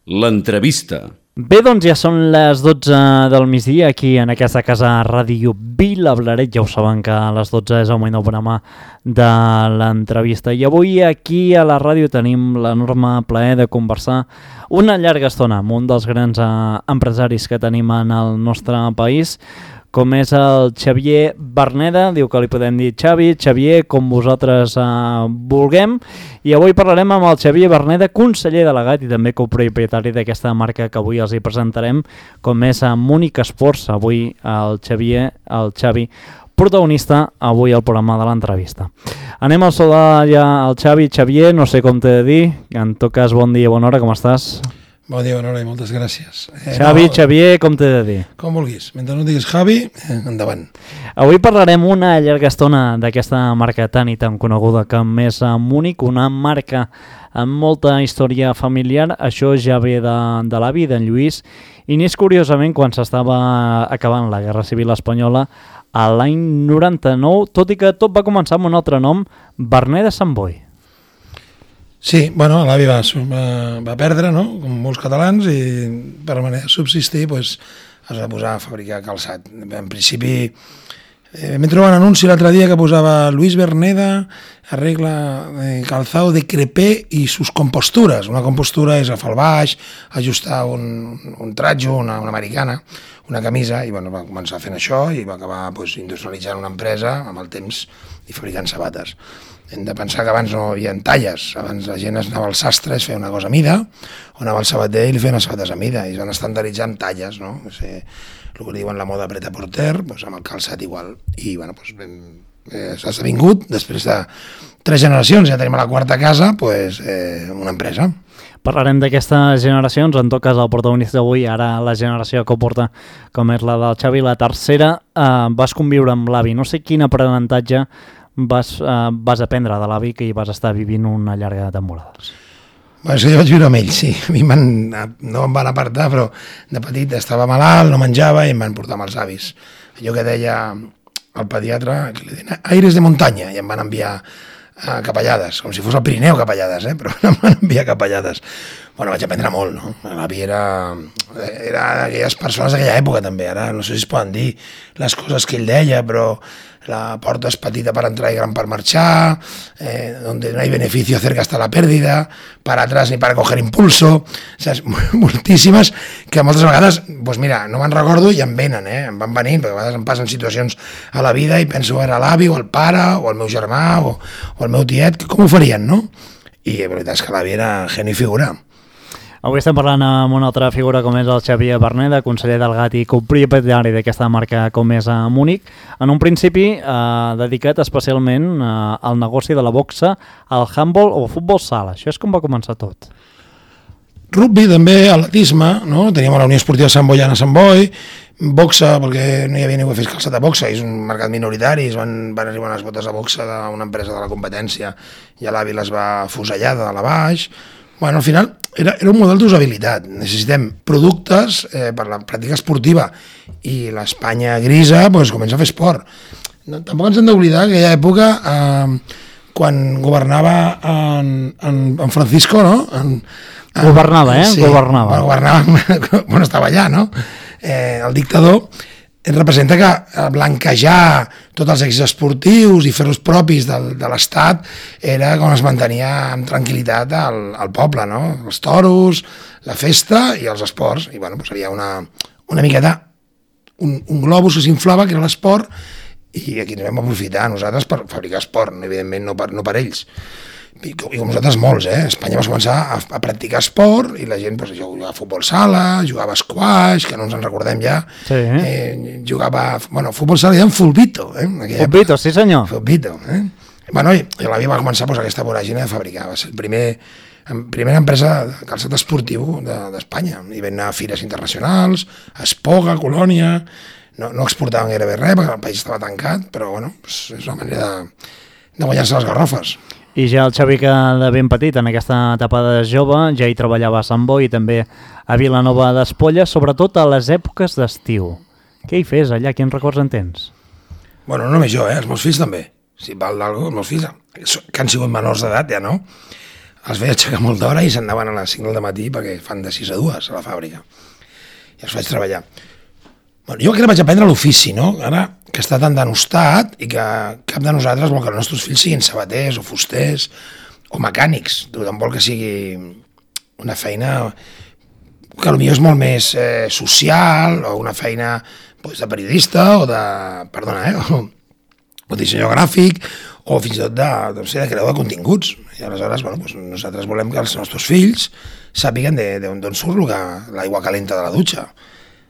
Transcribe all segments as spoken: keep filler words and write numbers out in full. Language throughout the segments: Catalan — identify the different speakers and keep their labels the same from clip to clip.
Speaker 1: L'entrevista.
Speaker 2: Bé, doncs ja són les dotze del migdia aquí en aquesta casa Ràdio Vilablareix. Ja ho saben que a les dotze és el moment del programa de l'entrevista. I avui aquí a la ràdio tenim l'enorme plaer de conversar una llarga estona amb un dels grans eh, empresaris que tenim en el nostre país, com és el Xavier Verneda. Diu que li podem dir Xavi, Xavier, com vosaltres eh, vulguem. I avui parlarem amb el Xavier Verneda, conseller delegat i també copropietari d'aquesta marca que avui els hi presentarem, com és a Múnich Sports. Avui el Xavier, el Xavi, protagonista avui al programa de l'entrevista. Anem a saludar ja al Xavi. Xavier, no sé com t'he de dir, en tot cas bon dia, bona hora, com estàs?
Speaker 3: Bon dia, bona hora i moltes gràcies.
Speaker 2: Eh, Xavi, no, Xavier, com t'he de dir?
Speaker 3: Com vulguis. Mentre no diguis Javi, endavant.
Speaker 2: Avui parlarem una llarga estona d'aquesta marca tan i tan coneguda com és Múnich, una marca amb molta història familiar. Això ja ve de, de l'avi, d'en Lluís, i n'és curiosament quan s'estava acabant la Guerra Civil Espanyola a l'any noranta-nou, tot i que tot va començar amb un altre nom, Verneda Sant Boi.
Speaker 3: Sí, bueno, l'avi va, va, va perdre, no?, com molts catalans, i per manera de subsistir pues, es va posar a fabricar calçat. En principi, eh, m'he trobat un anunci l'altre dia que posava Luis Verneda arregla eh, calzado de crepé i sus compostures. Una compostura és agafar el baix, ajustar un, un tratjo, una, una americana, una camisa, i bueno, va començar fent això i va acabar pues, industrialitzant una empresa amb el temps i fabricant sabates. Hem de pensar que abans no hi havia talles, abans la gent anava al sastre, es feia una cosa a mida, o anava al sabater i li feien les sabates a mida, i es van estandarditzar amb talles, no? O sigui, el que diuen la moda pret-a-porter, doncs amb el calçat igual. I bueno, doncs, eh, s'ha esdevingut, després de tres generacions, ja tenim a la quarta casa, doncs, eh, una empresa.
Speaker 2: Parlarem d'aquestes generacions, en tot cas el protagonista d'avui, ara la generació que ho porta, com és la del Xavi, la tercera, eh, vas conviure amb l'avi. No sé quin aprenentatge vas, eh, vas aprendre de l'avi que hi vas estar vivint una llarga temporada.
Speaker 3: Bueno, és que jo vaig viure amb ell, sí. A mi van, no em van apartar, però de petit estava malalt, no menjava i em van portar amb els avis. Allò que deia el pediatre, que li deien aires de muntanya, i em van enviar a Capellades, com si fos el Pirineu Capellades, eh? Però em van enviar a Capellades. Bueno, vaig aprendre molt, no? L'avi era, era d'aquelles persones d'aquella època també, ara no sé si es poden dir les coses que ell deia, però la porta és petita per entrar i gran per marxar, eh, donde no hay beneficio cerca está la pérdida, para atrás ni para coger impulso, o sea, moltíssimes que moltes vegades, doncs mira, no me'n recordo i em venen, eh? Em van venint, perquè a vegades em passen situacions a la vida i penso era l'avi o el pare o el meu germà o, o el meu tiet, com ho farien, no? I la veritat és que l'avi era geni figura.
Speaker 2: Avui estem parlant amb una altra figura com és el Xavier Verneda, conseller delegat i copropietari d'aquesta marca com és a Múnich. En un principi eh, dedicat especialment eh, al negoci de la boxa, al handball o futbol sala. Això és com va començar tot.
Speaker 3: Rugby també, atletisme, no? Teníem la Unió Esportiva Sant Boiana a Sant Boi, boxa, perquè no hi havia ningú que fes calçat de boxa, és un mercat minoritari, es van, van arribar unes botes de boxa d'una empresa de la competència i a l'avi les va fusellar de la baix. Bueno, al final era, era un model d'usabilitat. Necessitem productes eh, per la pràctica esportiva i l'Espanya grisa pues, comença a fer esport. No, tampoc ens hem d'oblidar que aquella època, eh, quan governava en, en, en Francisco, no? En, en,
Speaker 2: governava, eh?
Speaker 3: Sí,
Speaker 2: governava.
Speaker 3: Bueno, governava, bueno, estava allà, no? Eh, el dictador representa que blanquejar tots els èxits esportius i fer-los propis del, de l'Estat era com es mantenia amb tranquil·litat al, al poble, no? Els toros, la festa i els esports. I bueno, doncs havia una, una miqueta, un, un globus que s'inflava, que era l'esport, i aquí ens vam aprofitar nosaltres per fabricar esport, evidentment no per, no per ells. I com, i com nosaltres molts, eh? Espanya va començar a, a practicar esport i la gent pues, jugava a futbol sala, jugava a squash, que no ens en recordem ja,
Speaker 2: sí, eh?
Speaker 3: Eh, jugava, bueno, futbol sala i en fulbito. Eh?
Speaker 2: Fulbito, sí senyor.
Speaker 3: Fulbito, eh? Bueno, i, i l'avi va començar pues, aquesta voràgina de fabricar, va ser el primer, primera empresa de calçat esportiu d'Espanya, de, i vam anar a fires internacionals, a Espoga, a Colònia, no, no exportaven gairebé res perquè el país estava tancat, però bueno, pues, és una manera de, de guanyar-se les garrofes.
Speaker 2: I ja el Xavi, que de ben petit, en aquesta etapa de jove, ja hi treballava a Sant Boi i també a Vilanova d'Espolla, sobretot a les èpoques d'estiu. Què hi fes allà? Quins records en tens?
Speaker 3: Bueno, no només jo, eh? Els meus fills també. Si val d'algú, els meus fills, que han sigut menors d'edat, ja no. els feia aixecar molt d'hora i s'anaven a les cinc del matí perquè fan de sis a dues a la fàbrica. I els faig treballar. Bueno, jo que vaig aprendre l'ofici, no? Ara que està tan denostat i que cap de nosaltres vol que els nostres fills siguin sabaters o fusters o mecànics. Tothom vol que sigui una feina que potser és molt més eh, social o una feina pues, de periodista o de, perdona, eh, o, o dissenyador gràfic o fins i tot de, no sé, de creador de continguts. I aleshores, bueno, pues, nosaltres volem que els nostres fills sàpiguen d'on surt l'aigua calenta de la dutxa,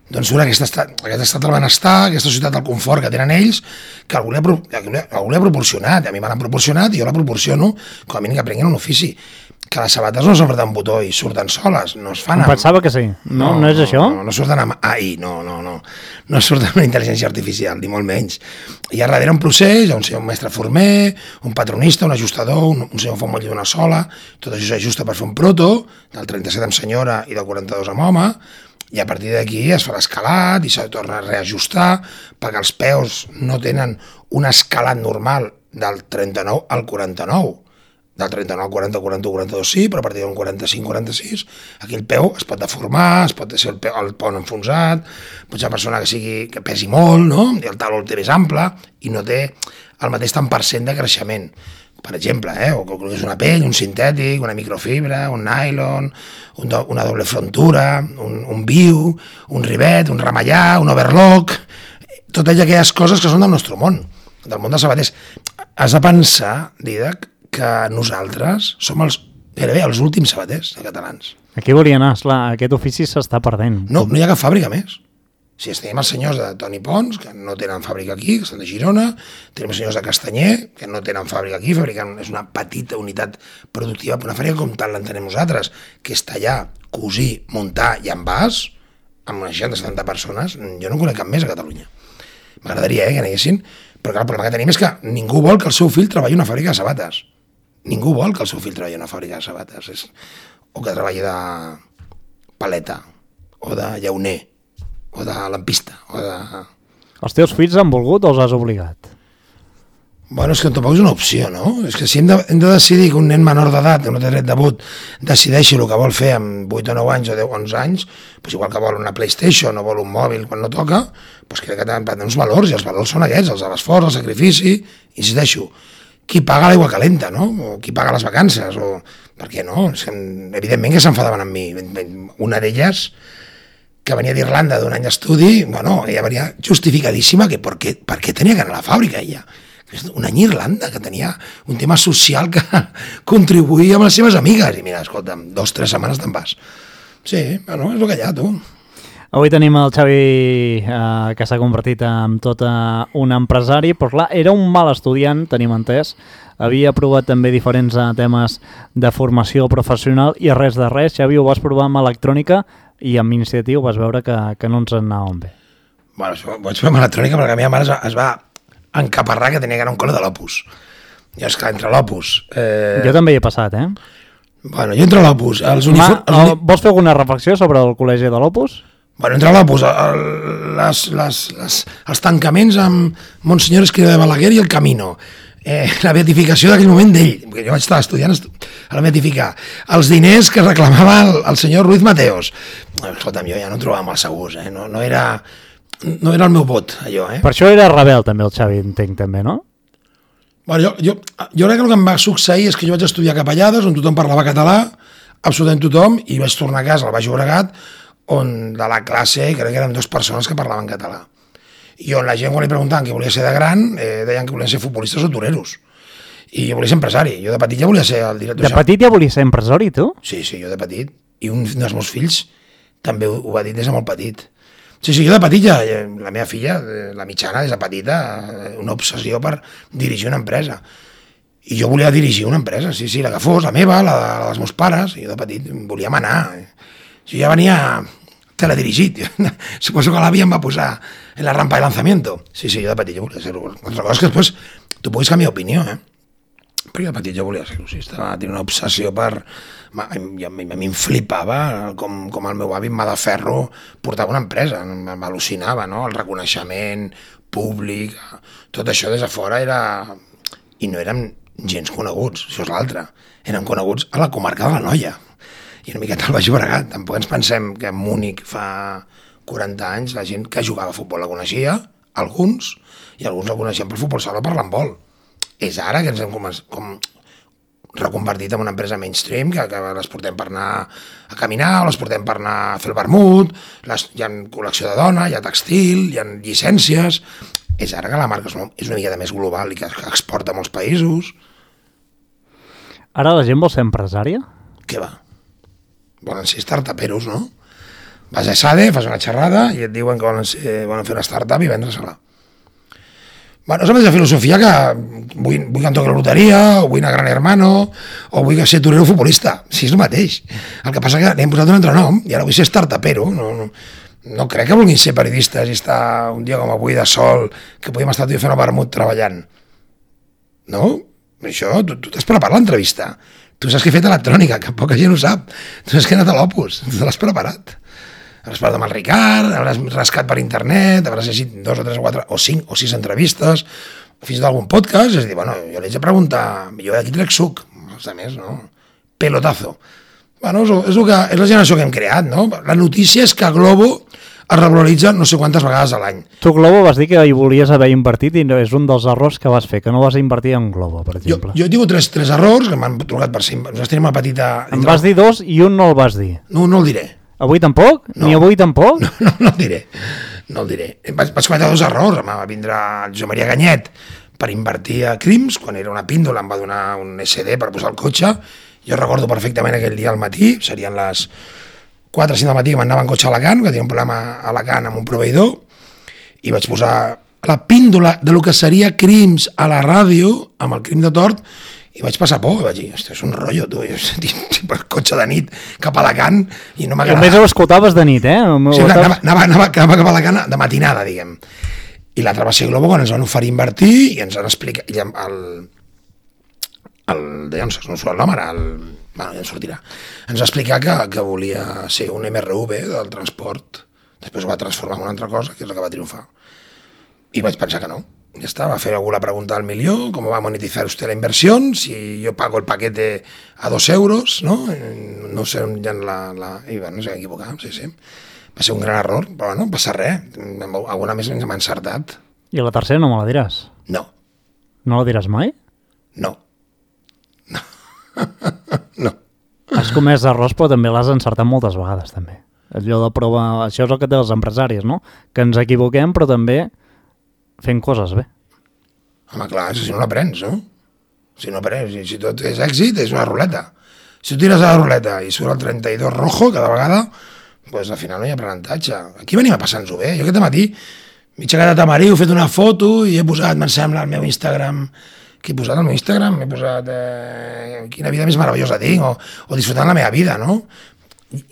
Speaker 3: d'on surt aquest estat, aquest estat del benestar, aquesta societat del confort que tenen ells, que algú li ha, algú li ha proporcionat, a mi me l'han proporcionat i jo la proporciono, com a mínim que aprenguin un ofici. Que les sabates no s'obreten un botó i surten soles, no es fan amb...
Speaker 2: Em pensava que sí, no, no, no és això?
Speaker 3: No, no surten amb A I, no, no, no, no surten amb intel·ligència artificial, ni molt menys. Hi ha darrere un procés, hi ha un senyor un mestre former, un patronista, un ajustador, un, un senyor que fa un motlle d'una sola, tot això s'ajusta per fer un proto, del trenta-set amb senyora i del quaranta-dos amb home, i a partir d'aquí es fa l'escalat i s'ha de tornar a reajustar perquè els peus no tenen un escalat normal del trenta-nou al quaranta-nou, del trenta-nou al quaranta, quaranta-u, quaranta-dos sí, però a partir d'un quaranta-cinc, quaranta-sis, aquí el peu es pot deformar, es pot ser el, peu, el pont enfonsat, pot ser una persona que, sigui, que pesi molt, no? I el taló el té més ample i no té el mateix tant per cent de creixement. Per exemple, eh? o que és una pell, un sintètic, una microfibra, un nylon, un do, una doble frontura, un, un viu, un rivet, un ramallar, un overlock, totes aquelles coses que són del nostre món, del món dels sabaters. Has de pensar, Didac, que nosaltres som els, gairebé els últims sabaters de catalans.
Speaker 2: Aquí volia anar, esclar, aquest ofici s'està perdent.
Speaker 3: No, no hi ha cap fàbrica més. Si tenim els senyors de Toni Pons, que no tenen fàbrica aquí, que estan de Girona, tenim els senyors de Castanyer, que no tenen fàbrica aquí, fabriquen, és una petita unitat productiva, una fàbrica com tal l'entenem nosaltres, que és tallar, cosir, muntar i envàs, amb unes seixanta setanta persones, jo no conec cap més a Catalunya. M'agradaria eh, que n'haguessin, però clar, el problema que tenim és que ningú vol que el seu fill treballi en una fàbrica de sabates. Ningú vol que el seu fill treballi en una fàbrica de sabates, és... o que treballi de paleta, o de llauner, o de lampista, o de...
Speaker 2: Els teus fills han volgut o els has obligat?
Speaker 3: Bueno, és que tampoc és una opció, no? És que si hem de, hem de decidir que un nen menor d'edat, que no té dret de vot, decideixi el que vol fer amb vuit o nou anys o deu o onze anys, doncs igual que vol una PlayStation o vol un mòbil quan no toca, doncs crec que han de uns valors, i els valors són aquests, els de l'esforç, el sacrifici, insisteixo, qui paga l'aigua calenta, no? O qui paga les vacances, o... Per què no? És que, evidentment que s'enfadaven amb mi. Una d'elles, que venia d'Irlanda d'un any d'estudi, bueno, ella venia justificadíssima que per què, per què tenia que anar a la fàbrica, ella. Un any a Irlanda, que tenia un tema social que contribuïa amb les seves amigues. I mira, escolta'm, dos, tres setmanes te'n vas. Sí, bueno, és el que hi ha, tu.
Speaker 2: Avui tenim el Xavi, eh, que s'ha convertit en tot un empresari, però clar, era un mal estudiant, tenim entès, havia provat també diferents uh, temes de formació professional i res de res. Xavi, ho vas provar amb electrònica i amb iniciatiu vas veure que, que no ens anaven bé.
Speaker 3: Bueno, ho vaig fer amb electrònica perquè la meva mare es va, es va encaparrar que tenia que anar a un col·le de l'Opus. Jo, esclar, entre l'Opus... Eh...
Speaker 2: Jo també hi he passat, eh?
Speaker 3: Bueno, jo entre l'Opus... Els uniform...
Speaker 2: Ma, els... Vols fer alguna reflexió sobre el col·legi de l'Opus?
Speaker 3: Bueno, entre l'Opus, el, les, les, les, els tancaments amb Monsenyor Escrivá de Balaguer i el Camino, eh, la beatificació d'aquell moment d'ell, perquè jo vaig estar estudiant a la beatificar, els diners que reclamava el, el senyor Ruiz Mateos. Escolta'm, jo ja no em trobava molt segurs, eh? no, no, era, no era el meu vot, allò. Eh?
Speaker 2: Per això era rebel també el Xavi, entenc també, no?
Speaker 3: Bueno, jo, jo, jo crec que el que em va succeir és que jo vaig estudiar a Capellades, on tothom parlava català, absolutament tothom, i vaig tornar a casa al Baix Llobregat, on de la classe crec que eren dues persones que parlaven català. I on la gent, quan li preguntaven què volia ser de gran, eh, deien que volien ser futbolistes o toreros. I jo volia ser empresari. Jo de petit ja volia ser el director.
Speaker 2: De petit ja volia ser empresari, tu?
Speaker 3: Sí, sí, jo de petit. I un dels meus fills també ho, ho va dir des de molt petit. Sí, sí, jo de petit ja, la meva filla, la mitjana, des de petita, una obsessió per dirigir una empresa. I jo volia dirigir una empresa, sí, sí, la que fos, la meva, la, la dels meus pares, i jo de petit volia manar. Jo ja venia teledirigit. Suposo que l'àvia em va posar en la rampa de lanzamiento. Sí, sí, jo de petit jo volia ser-ho. Altra cosa és que després tu puguis canviar opinió, eh? Però jo de petit jo volia ser-ho, sí, estava tenint una obsessió per... A mi em flipava com, com el meu avi en mà de ferro portava una empresa, m'al·lucinava, no? El reconeixement públic, tot això des de fora era... I no érem gens coneguts, això és l'altre. Eren coneguts a la comarca de l'Anoia i una miqueta al Baix Llobregat. Tampoc ens pensem que a Múnich fa quaranta anys la gent que jugava a futbol la coneixia, alguns, i alguns la coneixien per futbol sala o per l'handbol. És ara que ens hem com, com reconvertit en una empresa mainstream que, que les portem per anar a caminar, o les portem per anar a fer el vermut, les, hi ha col·lecció de dona, hi ha textil, hi ha llicències. És ara que la marca és una, és una miqueta més global i que, que exporta a molts països.
Speaker 2: Ara la gent vol ser empresària?
Speaker 3: Què va? Volen ser startuperos, no? Vas a SADE, fas una xerrada i et diuen que volen, ser, volen fer una startup i vendre-se-la. Bueno, és la mateixa filosofia que vull, vull que em toqui la loteria, o vull anar a Gran Hermano, o vull ser torero futbolista. Sí, és el mateix. El que passa que li hem posat un altre nom i ara vull ser startupero. No, no, no crec que vulguin ser periodistes i estar un dia com avui de sol, que podíem estar tot fent el vermut treballant. No? Això, tu, tu t'has preparat l'entrevista. Tu saps que he fet electrònica, que poca gent ho sap. Tu saps que he anat a l'Opus, tu l'has preparat. Hauràs parlat amb el Ricard, hauràs rascat per internet, hauràs llegit dos o tres o quatre o cinc o sis entrevistes, fins d'algun podcast, és a dir, bueno, jo li haig de preguntar, jo d'aquí trec suc, els altres, no? Pelotazo. Bueno, és, és, que, és la generació que hem creat, no? La notícia és que Globo es regularitza no sé quantes vegades a l'any.
Speaker 2: Tu, Globo, vas dir que hi volies haver invertit i no, és un dels errors que vas fer, que no vas invertir en Globo, per exemple.
Speaker 3: Jo, jo he tingut tres, tres errors que m'han trucat per ser... Nosaltres tenim una petita...
Speaker 2: Em vas dir dos i un no el vas dir.
Speaker 3: No, no el diré.
Speaker 2: Avui tampoc?
Speaker 3: No.
Speaker 2: Ni avui tampoc?
Speaker 3: No, no, no el diré. No el diré. Vaig, vaig cometre dos errors. Em va vindre el Josep Maria Ganyet per invertir a Crims, quan era una píndola, em va donar un esse de per posar el cotxe. Jo recordo perfectament aquell dia al matí, serien les quatre o cinc del matí, que m'anava en cotxe a Alacant, que tenia un problema a Alacant amb un proveïdor, i vaig posar la píndola de lo que seria Crims a la ràdio, amb el crim de tort, i vaig passar por, i vaig dir, ostres, és un rotllo, tu, per cotxe de nit cap a Alacant, i no m'agrada.
Speaker 2: I a més ho escoltaves de nit, eh?
Speaker 3: Sí, anava, anava, anava, anava cap a Alacant de matinada, diguem. I l'altre va ser Globo, quan ens van oferir invertir, i ens van explicar, i el, el, de no sé, no surt el nom ara, el, bueno, ja en sortirà, ens va explicar que, que volia ser un eme erre u ve del transport, després ho va transformar en una altra cosa, que és la que va triomfar. I vaig pensar que no. Ya está, va a hacer alguna pregunta al millón, cómo va a monetizar usted la inversión, si yo pago el paquete a dos euros, ¿no? No sé, ja la, la... I bueno, s'ha equivocat, sí, sí. Va ser un gran error, però bueno, no passa res. Alguna més ens m'ha encertat.
Speaker 2: I la tercera no me la diràs?
Speaker 3: No.
Speaker 2: No la diràs mai?
Speaker 3: No. No. No.
Speaker 2: Has comès errors, però també l'has encertat moltes vegades, també. Allò de prova... Això és el que té els empresaris, no? Que ens equivoquem, però també fent coses bé.
Speaker 3: Home, clar, si no l'aprens, no? Si no aprens, si tot és èxit, és una ruleta. Si tu tires a la ruleta i surt el trenta-dos rojo cada vegada, doncs al final no hi ha aprenentatge. Aquí venim a passar-nos-ho bé. Jo aquest matí m'he aixecat a Tamarí, he fet una foto i he posat, me'n sembla, al meu Instagram, que he posat al meu Instagram, he posat eh, quina vida més meravellosa tinc, o, o disfrutant la meva vida, no?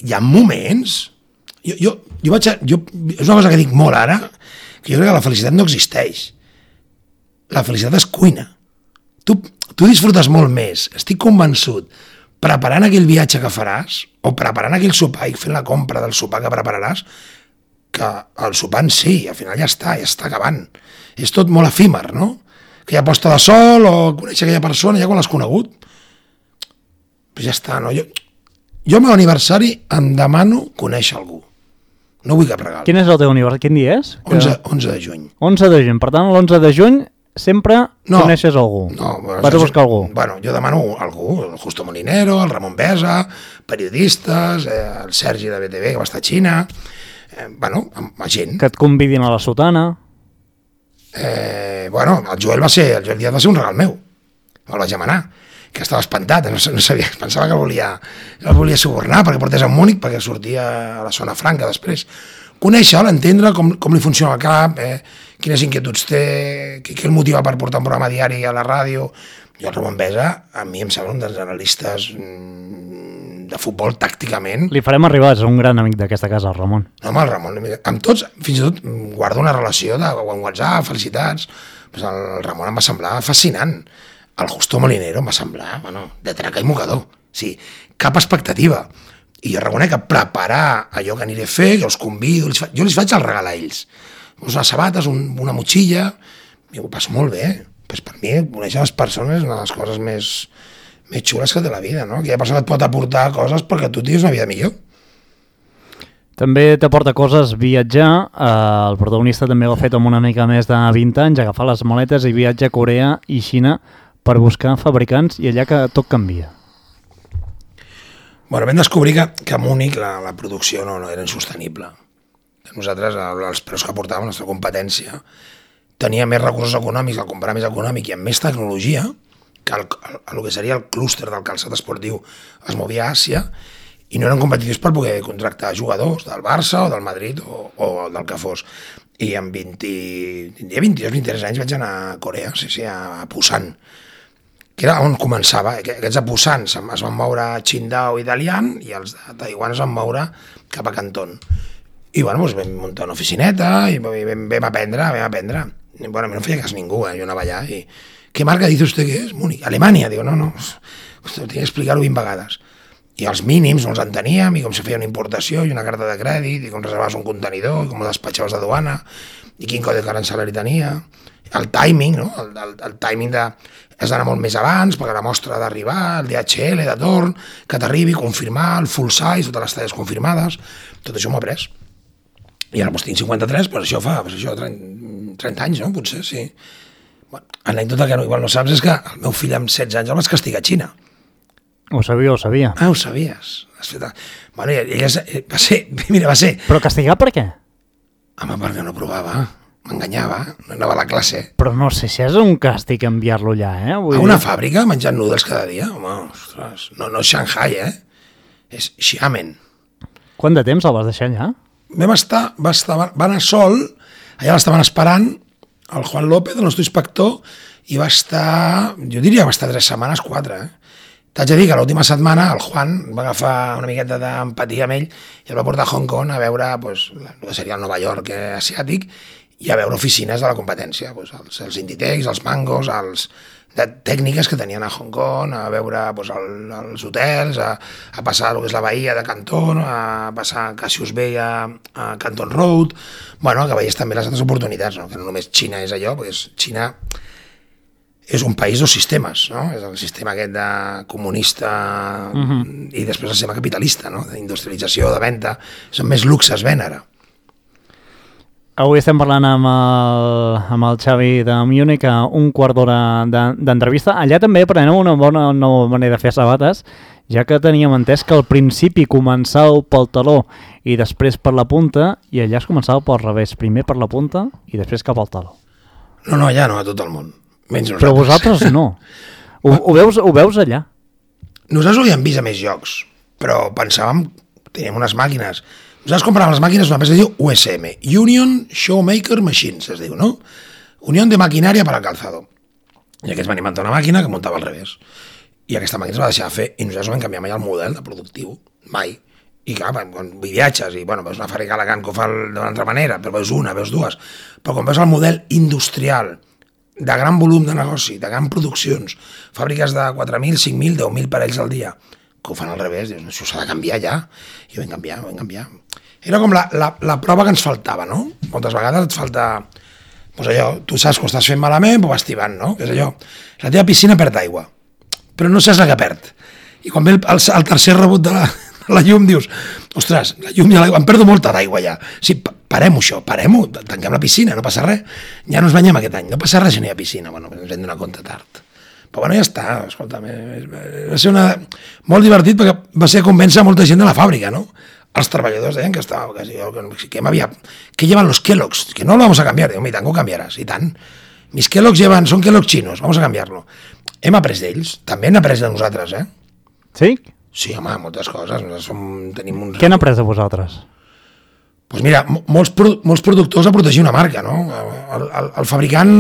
Speaker 3: Hi ha moments... Jo, jo, jo vaig a, jo, és una cosa que dic molt ara, que jo crec que la felicitat no existeix. La felicitat es cuina. Tu, tu disfrutes molt més, estic convençut, preparant aquell viatge que faràs, o preparant aquell sopar i fent la compra del sopar que prepararàs, que el sopar en si, al final ja està, ja està acabant. És tot molt efímer, no? Que hi ha posta de sol, o conèixer aquella persona, ja quan l'has conegut. Però ja està, no? Jo, jo al meu aniversari em demano conèixer algú. No vull cap regal.
Speaker 2: Quin és el teu aniversari? Quin dia és?
Speaker 3: onze, onze de juny.
Speaker 2: onze de juny. Per tant, l'onze de juny sempre no, coneixes algú.
Speaker 3: No, bueno,
Speaker 2: vas a buscar algú.
Speaker 3: Bueno, jo demano algú, el Justo Molinero, el Ramon Besa, periodistes, eh, el Sergi de be te ve, que va estar a Xina, eh, bueno, amb gent.
Speaker 2: Que et convidin a la sotana.
Speaker 3: Eh, bueno, el Joel va ser, el Joel Díaz va ser un regal meu. Me'l vaig demanar, que estava espantat, no, no sabia, pensava que el volia, el volia subornar perquè portés a Múnich, perquè sortia a la zona franca després. Conèixer-lo, entendre com, com li funciona el cap, eh, quines inquietuds té, què, què el motiva per portar un programa diari a la ràdio. Jo el Ramon Besa, a mi em sembla un dels analistes de futbol tàcticament.
Speaker 2: Li farem arribar, és un gran amic d'aquesta casa, el Ramon.
Speaker 3: No, home, el Ramon, amb tots, fins i tot guardo una relació de WhatsApp, felicitats, pues el Ramon em va semblar fascinant. El Justo Molinero em va semblar, bueno, de traca i mocador. Sí, cap expectativa. I jo reconec que preparar allò que aniré a fer, jo els convido, els fa... jo els faig el regal a ells. Unes sabates, un, una motxilla, i ho passo molt bé, pues per mi, conèixer les persones és una de les coses més, més xules que té la vida, no? Aquella persona et pot aportar coses perquè tu tinguis una vida millor.
Speaker 2: També t'aporta coses viatjar. Eh, el protagonista també ho ha fet amb una mica més de vint anys, agafar les maletes i viatja a Corea i Xina per buscar fabricants i allà que tot canvia.
Speaker 3: Bueno, vam descobrir que, que a Múnich la, la producció no, no era insostenible. Nosaltres, els preus que portàvem, la nostra competència, tenia més recursos econòmics, el comprar més econòmic i amb més tecnologia, que el, el, el que seria el clúster del calçat esportiu es movia a Àsia, i no eren competitius per poder contractar jugadors del Barça o del Madrid o, o del que fos. I amb vint, vint-i-dos vint-i-tres anys vaig anar a Corea, sí, sí, a Busan, que era on començava. Aquests a Busan es van moure a Qingdao i Dalian i els de Taiwan es van moure cap a Canton. I bueno, doncs vam muntar una oficineta i vam, vam aprendre, vam aprendre. Bueno, no feia cas ningú, eh? Jo anava allà i... ¿Qué marca dice usted que es? Múnich. Alemanya. Digo, no, no, tenia que explicar-ho vint vegades. I els mínims no els en teníem, i com se feia una importació i una carta de crèdit, i com reservaves un contenidor, i com despatxaves de duana, i quin codi carancelari tenia, el timing, no? el, el, el timing de... has d'anar molt més abans, perquè la mostra d'arribar, el D H L de torn, que t'arribi, confirmar, el full size, totes les talles confirmades, tot això m'ho he après. I ara doncs, tinc cinquanta-tres, però això fa doncs, això, trenta anys, no? Potser, sí. Bueno, anècdota que no, igual no saps és que el meu fill amb setze anys el vaig castigar a Xina.
Speaker 2: Ho sabia, ho sabia.
Speaker 3: Ah, ho sabies. Has fet... Bueno, ella va ser... Mira, va ser...
Speaker 2: Però castigar per què?
Speaker 3: Home, perquè no provava. M'enganyava. No anava a la classe.
Speaker 2: Però no sé si és un càstig enviar-lo allà, eh? Vull
Speaker 3: a una
Speaker 2: dir...
Speaker 3: fàbrica menjant noodles cada dia? Home, ostres. No, no és Shanghai, eh? És Xiamen.
Speaker 2: Quant de temps el vas deixar allà?
Speaker 3: Vam estar... Va, estar, va anar sol. Allà l'estaven esperant el Juan López, el nostre inspector, i va estar... Jo diria que va estar tres setmanes, quatre, eh? T'haig de dir que l'última setmana el Juan va agafar una miqueta d'empatia amb ell i el va portar a Hong Kong a veure pues, el que seria el Nova York asiàtic i a veure oficines de la competència, pues, els, els Inditex, els Mangos, els de tècniques que tenien a Hong Kong, a veure pues, el, els hotels, a, a passar el que és la bahia de Canton, a passar a Cassius Bay a, a Canton Road, bueno, que veies també les altres oportunitats, no? Que no només Xina és allò, perquè Xina és un país dos sistemes, no? És el sistema aquest de comunista uh-huh. i després el sistema capitalista, no? D'industrialització, de venda, són més luxes ven ara.
Speaker 2: Avui estem parlant amb el, amb el Xavi de Múnich a un quart d'hora d'entrevista. Allà també aprenem una bona nova manera de fer sabates, ja que teníem entès que al principi començàveu pel taló i després per la punta, i allà es començava pel revés, primer per la punta i després cap al taló.
Speaker 3: No, no, allà no, a tot el món. Menys nosaltres.
Speaker 2: Però vosaltres no. Ho, ho, veus, ho veus allà?
Speaker 3: Nosaltres ho havíem vist a més llocs, però pensàvem, teníem unes màquines. Nosaltres compràvem les màquines d'una empresa que es diu U S M, Union Showmaker Machines, es diu, no? Unión de Maquinaria para el Calzado. I aquests van inventar una màquina que muntava al revés. I aquesta màquina es va deixar de fer, i nosaltres no vam canviar mai el model de productiu, mai. I clar, quan viatges i bueno, veus una fàbrica a Alacant que ho fa d'una altra manera, però veus una, veus dues, però quan veus el model industrial de gran volum de negoci, de gran produccions, fàbriques de quatre mil, cinc mil, deu mil parells al dia, que ho fan al revés, dius, això s'ha de canviar ja, i ho vam canviar, ho vam canviar. Era com la, la, la prova que ens faltava, no? Moltes vegades et falta, doncs allò, tu saps que ho estàs fent malament, però vas tibant, no? Que és allò, la teva piscina perd aigua, però no saps la que perd. I quan ve el, el, el tercer rebot de la, de la llum, dius, ostres, la llum i l'aigua, em perdo molta d'aigua ja. Sí, parem-ho això, parem-ho, tanquem la piscina, no passa res. Ja no ens banyem aquest any, no passa res si no hi ha piscina. Bueno, ens hem donat compte tard. Però bueno, ja està, escolta, va ser una... molt divertit perquè va ser convèncer molta gent de la fàbrica, no? Els treballadors deien que estava, que, que m'havia... que llevan los Kellogg's, que no lo vamos a cambiar. Digo, i tant, que ho canviaràs, i tant. Mis Kellogg's llevan, són Kellogg's chinos, vamos a cambiarlo. Hem après d'ells, també hem après de nosaltres, eh?
Speaker 2: Sí?
Speaker 3: Sí, home, moltes coses. Som, tenim uns...
Speaker 2: Què han après de vosaltres?
Speaker 3: Doncs mira, molts, molts productors a protegir una marca, no? El, el, el fabricant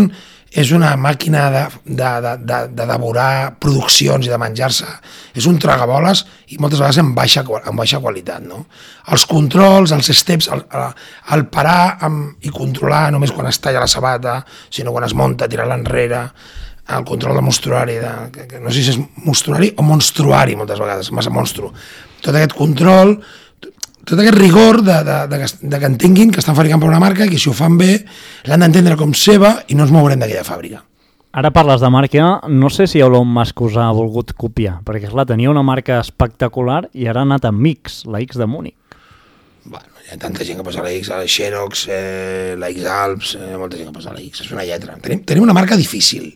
Speaker 3: és una màquina de, de, de, de, de devorar produccions i de menjar-se. És un tragaboles i moltes vegades en baixa, en baixa qualitat, no? Els controls, els steps, el, el parar amb, i controlar només quan es talla la sabata, sinó quan es munta, tirar-la enrere, el control de monstruari, de, que, que no sé si és monstruari o monstruari moltes vegades, massa monstru. Tot aquest control... tot aquest rigor de, de, de, de que entenguin que estan fabricant per una marca i que si ho fan bé l'han d'entendre com seva i no ens mourem d'aquella fàbrica.
Speaker 2: Ara parles de marca, no sé si Elon Musk us ha volgut copiar, perquè clar, tenia una marca espectacular i ara ha anat amb X, la X de Múnich.
Speaker 3: Bueno, hi ha tanta gent que posa la X, la Xerox, eh, la X-Alps, eh, molta gent que posa la X, és una lletra. Tenim, tenim una marca difícil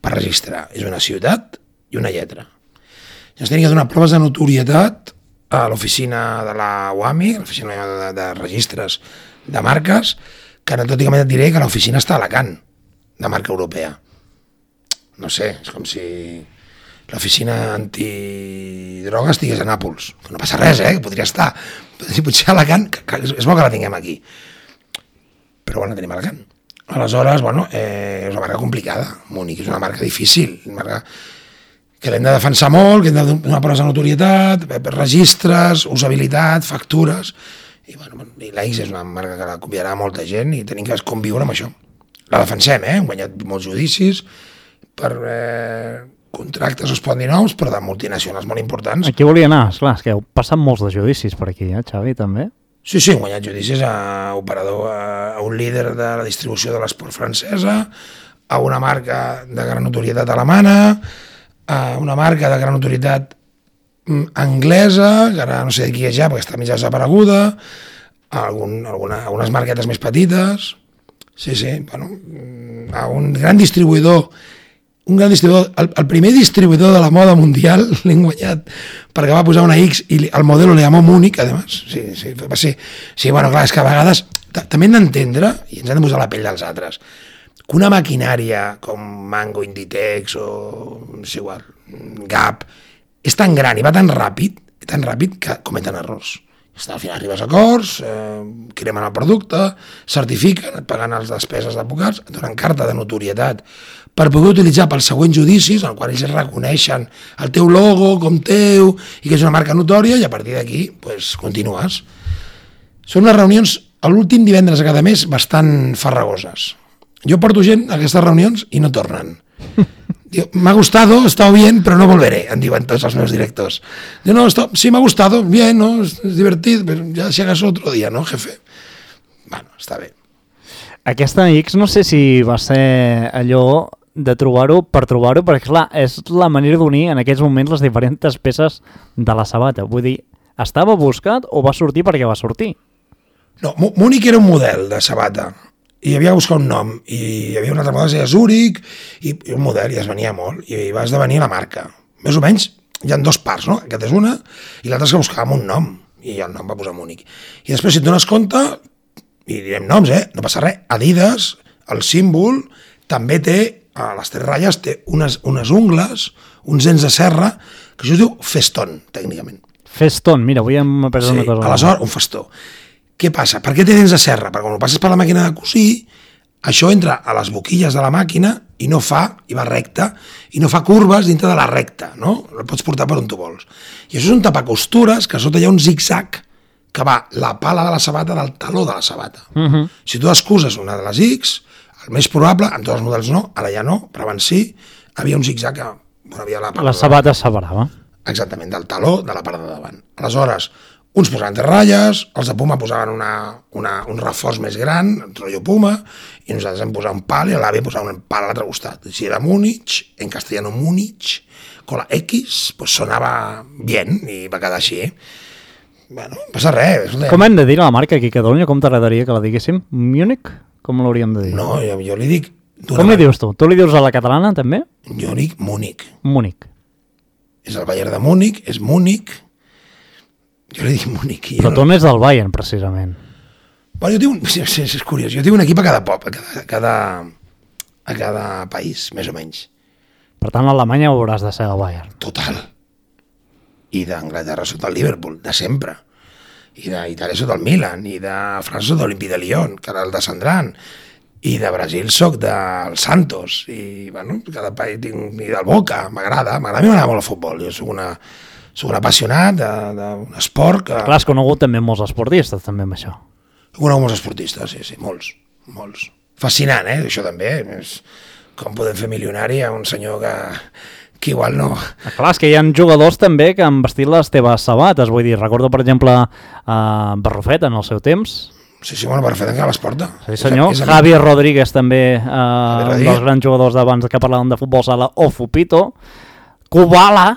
Speaker 3: per registrar, és una ciutat i una lletra. I ens tenim que donar proves de notorietat a l'oficina de la U A M I, l'oficina de, de registres de marques, que anecdòticament et diré que l'oficina està a Alacant, de marca europea. No sé, és com si l'oficina antidroga estigués a Nàpols. No passa res, eh? Que podria estar. Potser a Alacant, que, que és bo que la tinguem aquí. Però bueno, tenim Alacant. Aleshores, bueno, eh, és una marca complicada. Múnich és una marca difícil, una marca que l'hem de defensar molt, que hem de donar proves de notorietat, registres, usabilitat, factures. I, bueno, i la X és una marca que la convidarà molta gent i tenim que conviure amb això. La defensem, eh? Hem guanyat molts judicis per eh, contractes, es poden dir noms, però de multinacionals molt importants.
Speaker 2: Aquí volia anar, esclar, és que heu passat molts de judicis per aquí, eh, Xavi, també?
Speaker 3: Sí, sí, hem guanyat judicis a operador, a un líder de la distribució de l'esport francesa, a una marca de gran notorietat alemana, a una marca de gran notorietat anglesa, que ara no sé de qui és ja, perquè està mig desapareguda, algun, alguna, algunes marquetes més petites, sí, sí, bueno, a un gran distribuïdor, un gran distribuïdor, el, el primer distribuïdor de la moda mundial l'hem guanyat perquè va posar una X i el modelo le llamó Múnich, además, sí, sí, va ser, sí, bueno, clar, és que a vegades també hem d'entendre, i ens hem de posar la pell dels altres, que una maquinària com Mango, Inditex o, no sé igual, Gap, és tan gran i va tan ràpid, tan ràpid que cometen errors. Al final arribes a acords, eh, cremen el producte, certifiquen, et paguen les despeses d'advocats, et donen carta de notorietat per poder utilitzar pels següents judicis, en el qual ells reconeixen el teu logo com teu i que és una marca notòria, i a partir d'aquí pues, continues. Són unes reunions l'últim divendres a cada mes bastant farragoses. Jo porto gent a aquestes reunions i no tornen. Me ha gustado, está bien, pero no volveré, em diuen tots els meus directors. Diu, no, está, sí, me ha gustado, bien, ¿no? Es, es divertit, pero ya si hagas otro día, ¿no, jefe? Bueno, està bé.
Speaker 2: Aquesta X no sé si va ser allò de trobar-ho per trobar-ho, perquè clar, és la manera d'unir en aquests moments les diferents peces de la sabata. Vull dir, estava buscat o va sortir perquè va sortir?
Speaker 3: No, Múnich era un model de sabata, i havia de buscar un nom, i hi havia una altra moda que es deia Zurich, i, i un model, i es venia molt, i va esdevenir la marca. Més o menys, hi ha dues parts, no? Aquesta és una, i l'altra és que buscàvem un nom, i el nom va posar Múnich. I després, si et dones compte, i direm noms, eh? No passa res, Adidas, el símbol, també té, a les tres ratlles, té unes, unes ungles, uns dents de serra, que això es diu festón, tècnicament.
Speaker 2: Festón, mira, avui hem après
Speaker 3: sí,
Speaker 2: una cosa.
Speaker 3: Aleshores, un festó. Què passa? Per què té dents de serra? Perquè quan ho passes per la màquina de cosir, això entra a les boquilles de la màquina i no fa, i va recta, i no fa curves dintre de la recta, no? El pots portar per on tu vols. I això és un tapacostures, que a sota hi ha un zig-zag que va la pala de la sabata del taló de la sabata. Uh -huh. Si tu descuses una de les X, el més probable, en tots els models no, ara ja no, però abans sí, havia un zig-zag que bueno, havia la pala...
Speaker 2: La sabata es separava.
Speaker 3: Exactament, del taló de la part de davant. Aleshores, uns posaven tres ratlles, els de Puma posaven una, una, un reforç més gran, un rotllo Puma, i nosaltres hem posat un pal i l'àvia posava un pal a l'altre costat. Si era Múnich, en castellano Múnich, con la X, pues sonava bien i va quedar així. Bueno, no passa res.
Speaker 2: Com hem de dir a la marca aquí a Catalunya? Com t'agradaria que la diguéssim? Múnich? Com l'hauríem de dir?
Speaker 3: No, jo, jo li dic...
Speaker 2: Com li dius tu? Tu li dius a la catalana també?
Speaker 3: Jo dic Múnich.
Speaker 2: Múnich.
Speaker 3: És el Bayern de Múnich, és Múnich. Jo li dic Múnich.
Speaker 2: Però tu no és del Bayern, precisament.
Speaker 3: Bueno, jo tinc un... És, és curiós. Jo tinc un equip a cada pop, a cada, a cada, a cada país, més o menys.
Speaker 2: Per tant, a Alemanya hauràs de ser el Bayern.
Speaker 3: Total. I d'Anglaterra sota el Liverpool, de sempre. I d'Itàlia sota el Milan, i de França sota l'Olympique de Lyon, que ara el descendran. I de Brasil soc del Santos. I, bueno, cada país tinc... I del Boca, m'agrada. M'agrada, a mi m'agrada molt el futbol. Jo soc una... Soc un apassionat d'un esport que...
Speaker 2: Clar, has conegut també molts esportistes, també, amb això.
Speaker 3: He conegut molts esportistes, sí, sí, molts, molts. Fascinant, eh, això també. És com podem fer milionari a un senyor que, que igual no...
Speaker 2: Ah, clar, és que hi ha jugadors també que han vestit les teves sabates. Vull dir, recordo, per exemple, a Barrufet en el seu temps.
Speaker 3: Sí, sí, bueno, per fer tancar les portes.
Speaker 2: Sí, senyor. És, és Javi Rodríguez també, eh, un dels grans jugadors d'abans que parlàvem de futbol sala, o Fupito. Kubala.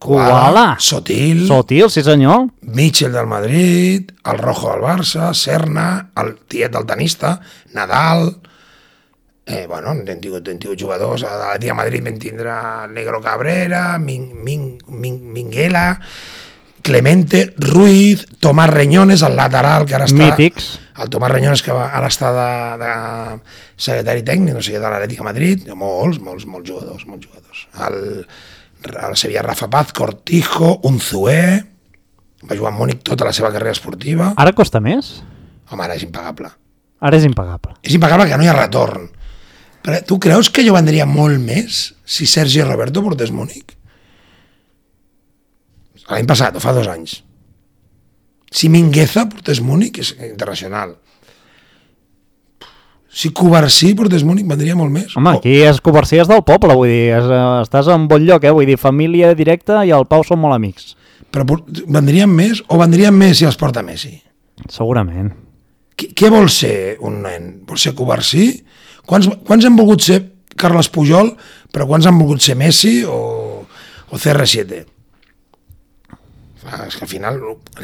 Speaker 2: Kubala.
Speaker 3: Sotil.
Speaker 2: Sotil, sí senyor.
Speaker 3: Mitchell del Madrid, el Rojo del Barça, Serna, el tiet del tenista, Nadal. Eh, bueno, hem tingut, hem tingut jugadors. A l'Atlètic de Madrid vam tindre el Negro Cabrera, Min, Min, Min, Minguela, Clemente, Ruiz, Tomás Reñones, el lateral que ara està...
Speaker 2: Mítics. El
Speaker 3: Tomás Reñones que ara està de, de secretari tècnic, no sé, de l'Atlètic de Madrid. Molts, molts, molts jugadors, molts jugadors. El, el Sevilla Rafa Paz, Cortijo, Unzué, va jugar a Múnich tota la seva carrera esportiva.
Speaker 2: Ara costa més?
Speaker 3: Home, ara és impagable.
Speaker 2: Ara és impagable.
Speaker 3: És impagable que no hi ha retorn. Però tu creus que jo vendria molt més si Sergi Roberto portés Múnich? L'any passat, o fa dos anys. Si Mingueza portés Múnich, és internacional. Si Covarsí portés Múnich, vendria molt més.
Speaker 2: Home, aquí és Covarsí és del poble, vull dir, és, estàs en bon lloc, eh? Vull dir, família directa i el Pau són molt amics.
Speaker 3: Però vendrien més o vendrien més si els porta Messi?
Speaker 2: Segurament.
Speaker 3: Què, què vol ser un nen? Vol ser Covarsí? Quants, quants han volgut ser Carles Pujol, però quants han volgut ser Messi o, o C R siete? És que al final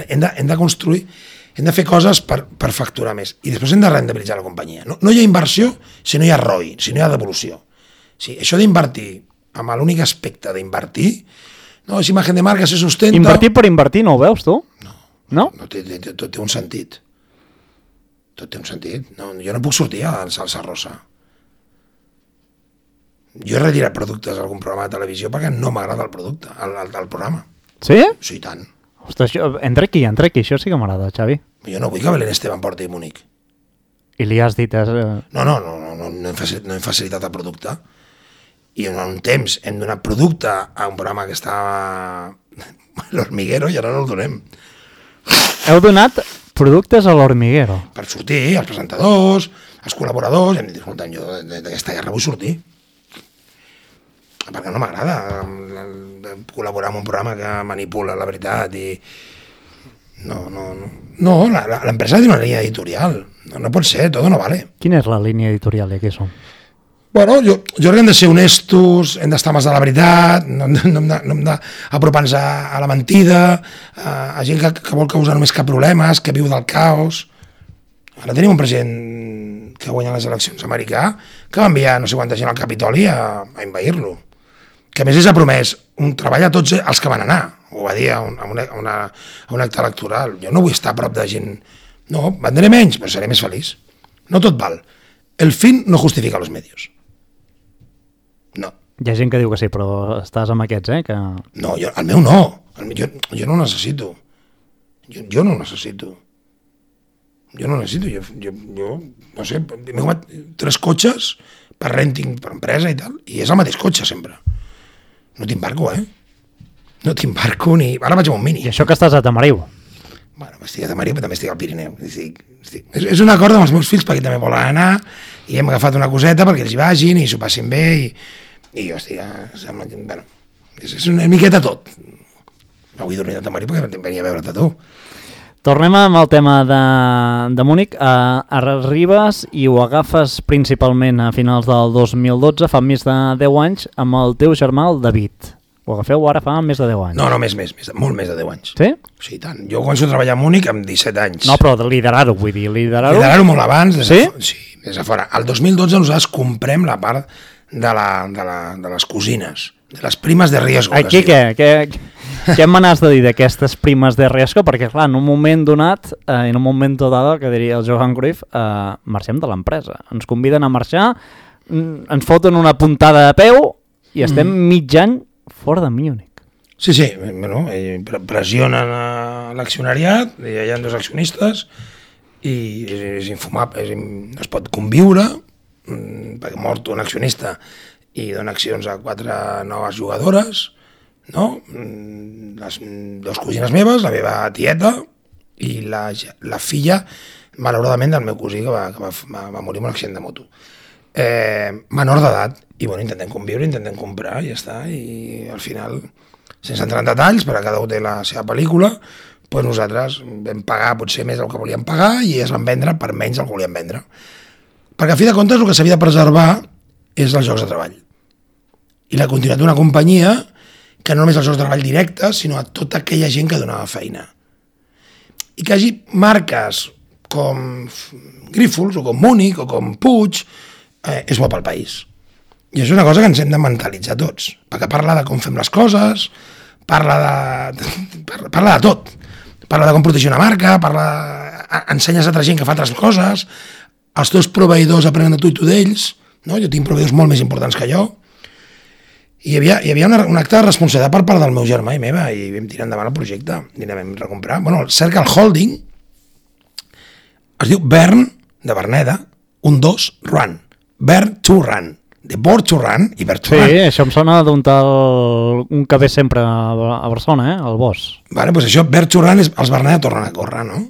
Speaker 3: hem de, hem de construir, hem de fer coses per, per facturar més i després hem de rendibilitzar la companyia. No, no hi ha inversió si no hi ha R O I, si no hi ha devolució. Sí, això d'invertir, amb l'únic aspecte d'invertir, no, és imatge de marca, se sustenta...
Speaker 2: Invertir per invertir, no ho veus tu?
Speaker 3: No,
Speaker 2: no?
Speaker 3: no té, té, tot té un sentit. Tot té un sentit. No, jo no puc sortir a salsa rosa. Jo he retirat productes a algun programa de televisió perquè no m'agrada el producte, el, el, el programa.
Speaker 2: Sí?
Speaker 3: Sí, tant.
Speaker 2: Ostres, això, entra aquí, entra aquí, això sí que m'agrada, Xavi.
Speaker 3: Jo no vull que Belén Esteban porti Múnich.
Speaker 2: I li has dit... És...
Speaker 3: No, no, no, no, no, no, hem facilitat, no hem facilitat el producte. I en un temps hem donat producte a un programa que estava l'Hormiguero i ara no el donem.
Speaker 2: Heu donat productes a l'Hormiguero?
Speaker 3: Per sortir, els presentadors, els col·laboradors, hem dit, escolta, jo d'aquesta guerra vull sortir. Perquè no m'agrada col·laborar en un programa que manipula la veritat i... No, no, no. No, l'empresa té una línia editorial. No, no pot ser, tot no vale.
Speaker 2: Quina és la línia editorial i aquí som?
Speaker 3: Bueno, jo, jo crec que hem de ser honestos, hem d'estar més de la veritat, no, no, no hem d'apropar-nos a, a la mentida, a, a gent que, que vol causar només cap problemes, que viu del caos. Ara tenim un president que guanya les eleccions americà que va enviar no sé quanta gent al Capitoli a, a envair-lo. Que a més és ha promès un treball a tots els que van anar, ho va dir a un, a una, a una, a un acte electoral. Jo no vull estar a prop de gent... No, vendré menys, però seré més feliç. No tot val. El fin no justifica los medios. No.
Speaker 2: Hi ha gent que diu que sí, però estàs amb aquests, eh? Que...
Speaker 3: No, jo, el meu no. El, jo, jo no ho necessito. Jo, jo no ho necessito. Jo no ho necessito. Jo, jo, jo no sé, m'he comprat tres cotxes per renting, per empresa i tal, i és el mateix cotxe sempre. No t'embarco, eh? No t'embarco ni... Ara vaig amb un Mini.
Speaker 2: I això que estàs a Tamariu?
Speaker 3: Bueno, estic a Tamariu, però també estic al Pirineu. Estic, estic... És, és un acord amb els meus fills perquè també volen anar i hem agafat una coseta perquè ells hi vagin i s'ho passin bé i, i jo estic... Sembla que, bueno, és, és una miqueta tot. No vull dormir a Tamariu perquè venia a veure't a tu.
Speaker 2: Tornem amb el tema de, de Múnich. Uh, arribes i ho agafes principalment a finals del dos mil dotze, fa més de deu anys, amb el teu germà, el David. Ho agafeu ara fa més de deu anys.
Speaker 3: No, no, més, més, més molt més de deu anys.
Speaker 2: Sí?
Speaker 3: Sí, tant. Jo començo a treballar a Múnich amb disset anys.
Speaker 2: No, però de liderar-ho, vull dir, liderar-ho...
Speaker 3: Liderar-ho molt abans. Des
Speaker 2: sí?
Speaker 3: De, sí, des de fora. El dos mil dotze nosaltres comprem la part de, la, de, la, de les cosines, de les primes de riesgo.
Speaker 2: Aquí què? Què, què me n'has de dir d'aquestes primes de riesgo? Perquè, clar, en un moment donat, eh, en un moment dado, que diria el Johan Cruyff, eh, marxem de l'empresa. Ens conviden a marxar, ens foten una puntada de peu i estem mm. mig any fora de Múnich.
Speaker 3: Sí, sí, bueno, pressionen l'accionariat, hi ha dos accionistes i és infumable, és, no es pot conviure perquè mort un accionista i dona accions a quatre noves jugadores, no? Les dues cosines meves, la meva tieta i la, la filla, malauradament, del meu cosí que va, que va, va, va morir en un accident de moto. Eh, menor d'edat, i bueno, intentem conviure, intentem comprar i ja està, i al final, sense entrar en detalls, perquè cada un té la seva pel·lícula, doncs nosaltres vam pagar potser més del que volíem pagar i es van vendre per menys del que volíem vendre. Perquè a fi de comptes el que s'havia de preservar és els llocs de treball. I la continuïtat d'una companyia que no només els llocs de treball directes, sinó a tota aquella gent que donava feina. I que hi hagi marques com Grífols o com Múnich o com Puig eh, és bo pel país. I això és una cosa que ens hem de mentalitzar tots, perquè parla de com fem les coses, parla de, parla de tot, parla de com protegir una marca, parla, ensenyes a altra gent que fa altres coses, els teus proveïdors aprenen de tu i tu d'ells, no? Jo tinc proveïdors molt més importants que jo, i hi havia, hi havia una, un acte de responsabilitat per part del meu germà i meva, i vam tirar endavant el projecte, i anem a recomprar. Bueno, el Circle Holding es diu Burn, de Verneda, un dos, Run, Burn to Run, de Born to Run i Burn to
Speaker 2: sí,
Speaker 3: Run.
Speaker 2: Sí, això em sona d'un tal... un que ve sempre a Barcelona, eh? El Bosch.
Speaker 3: Vale, doncs això, Burn to Run, és, els Verneda tornen a córrer, no?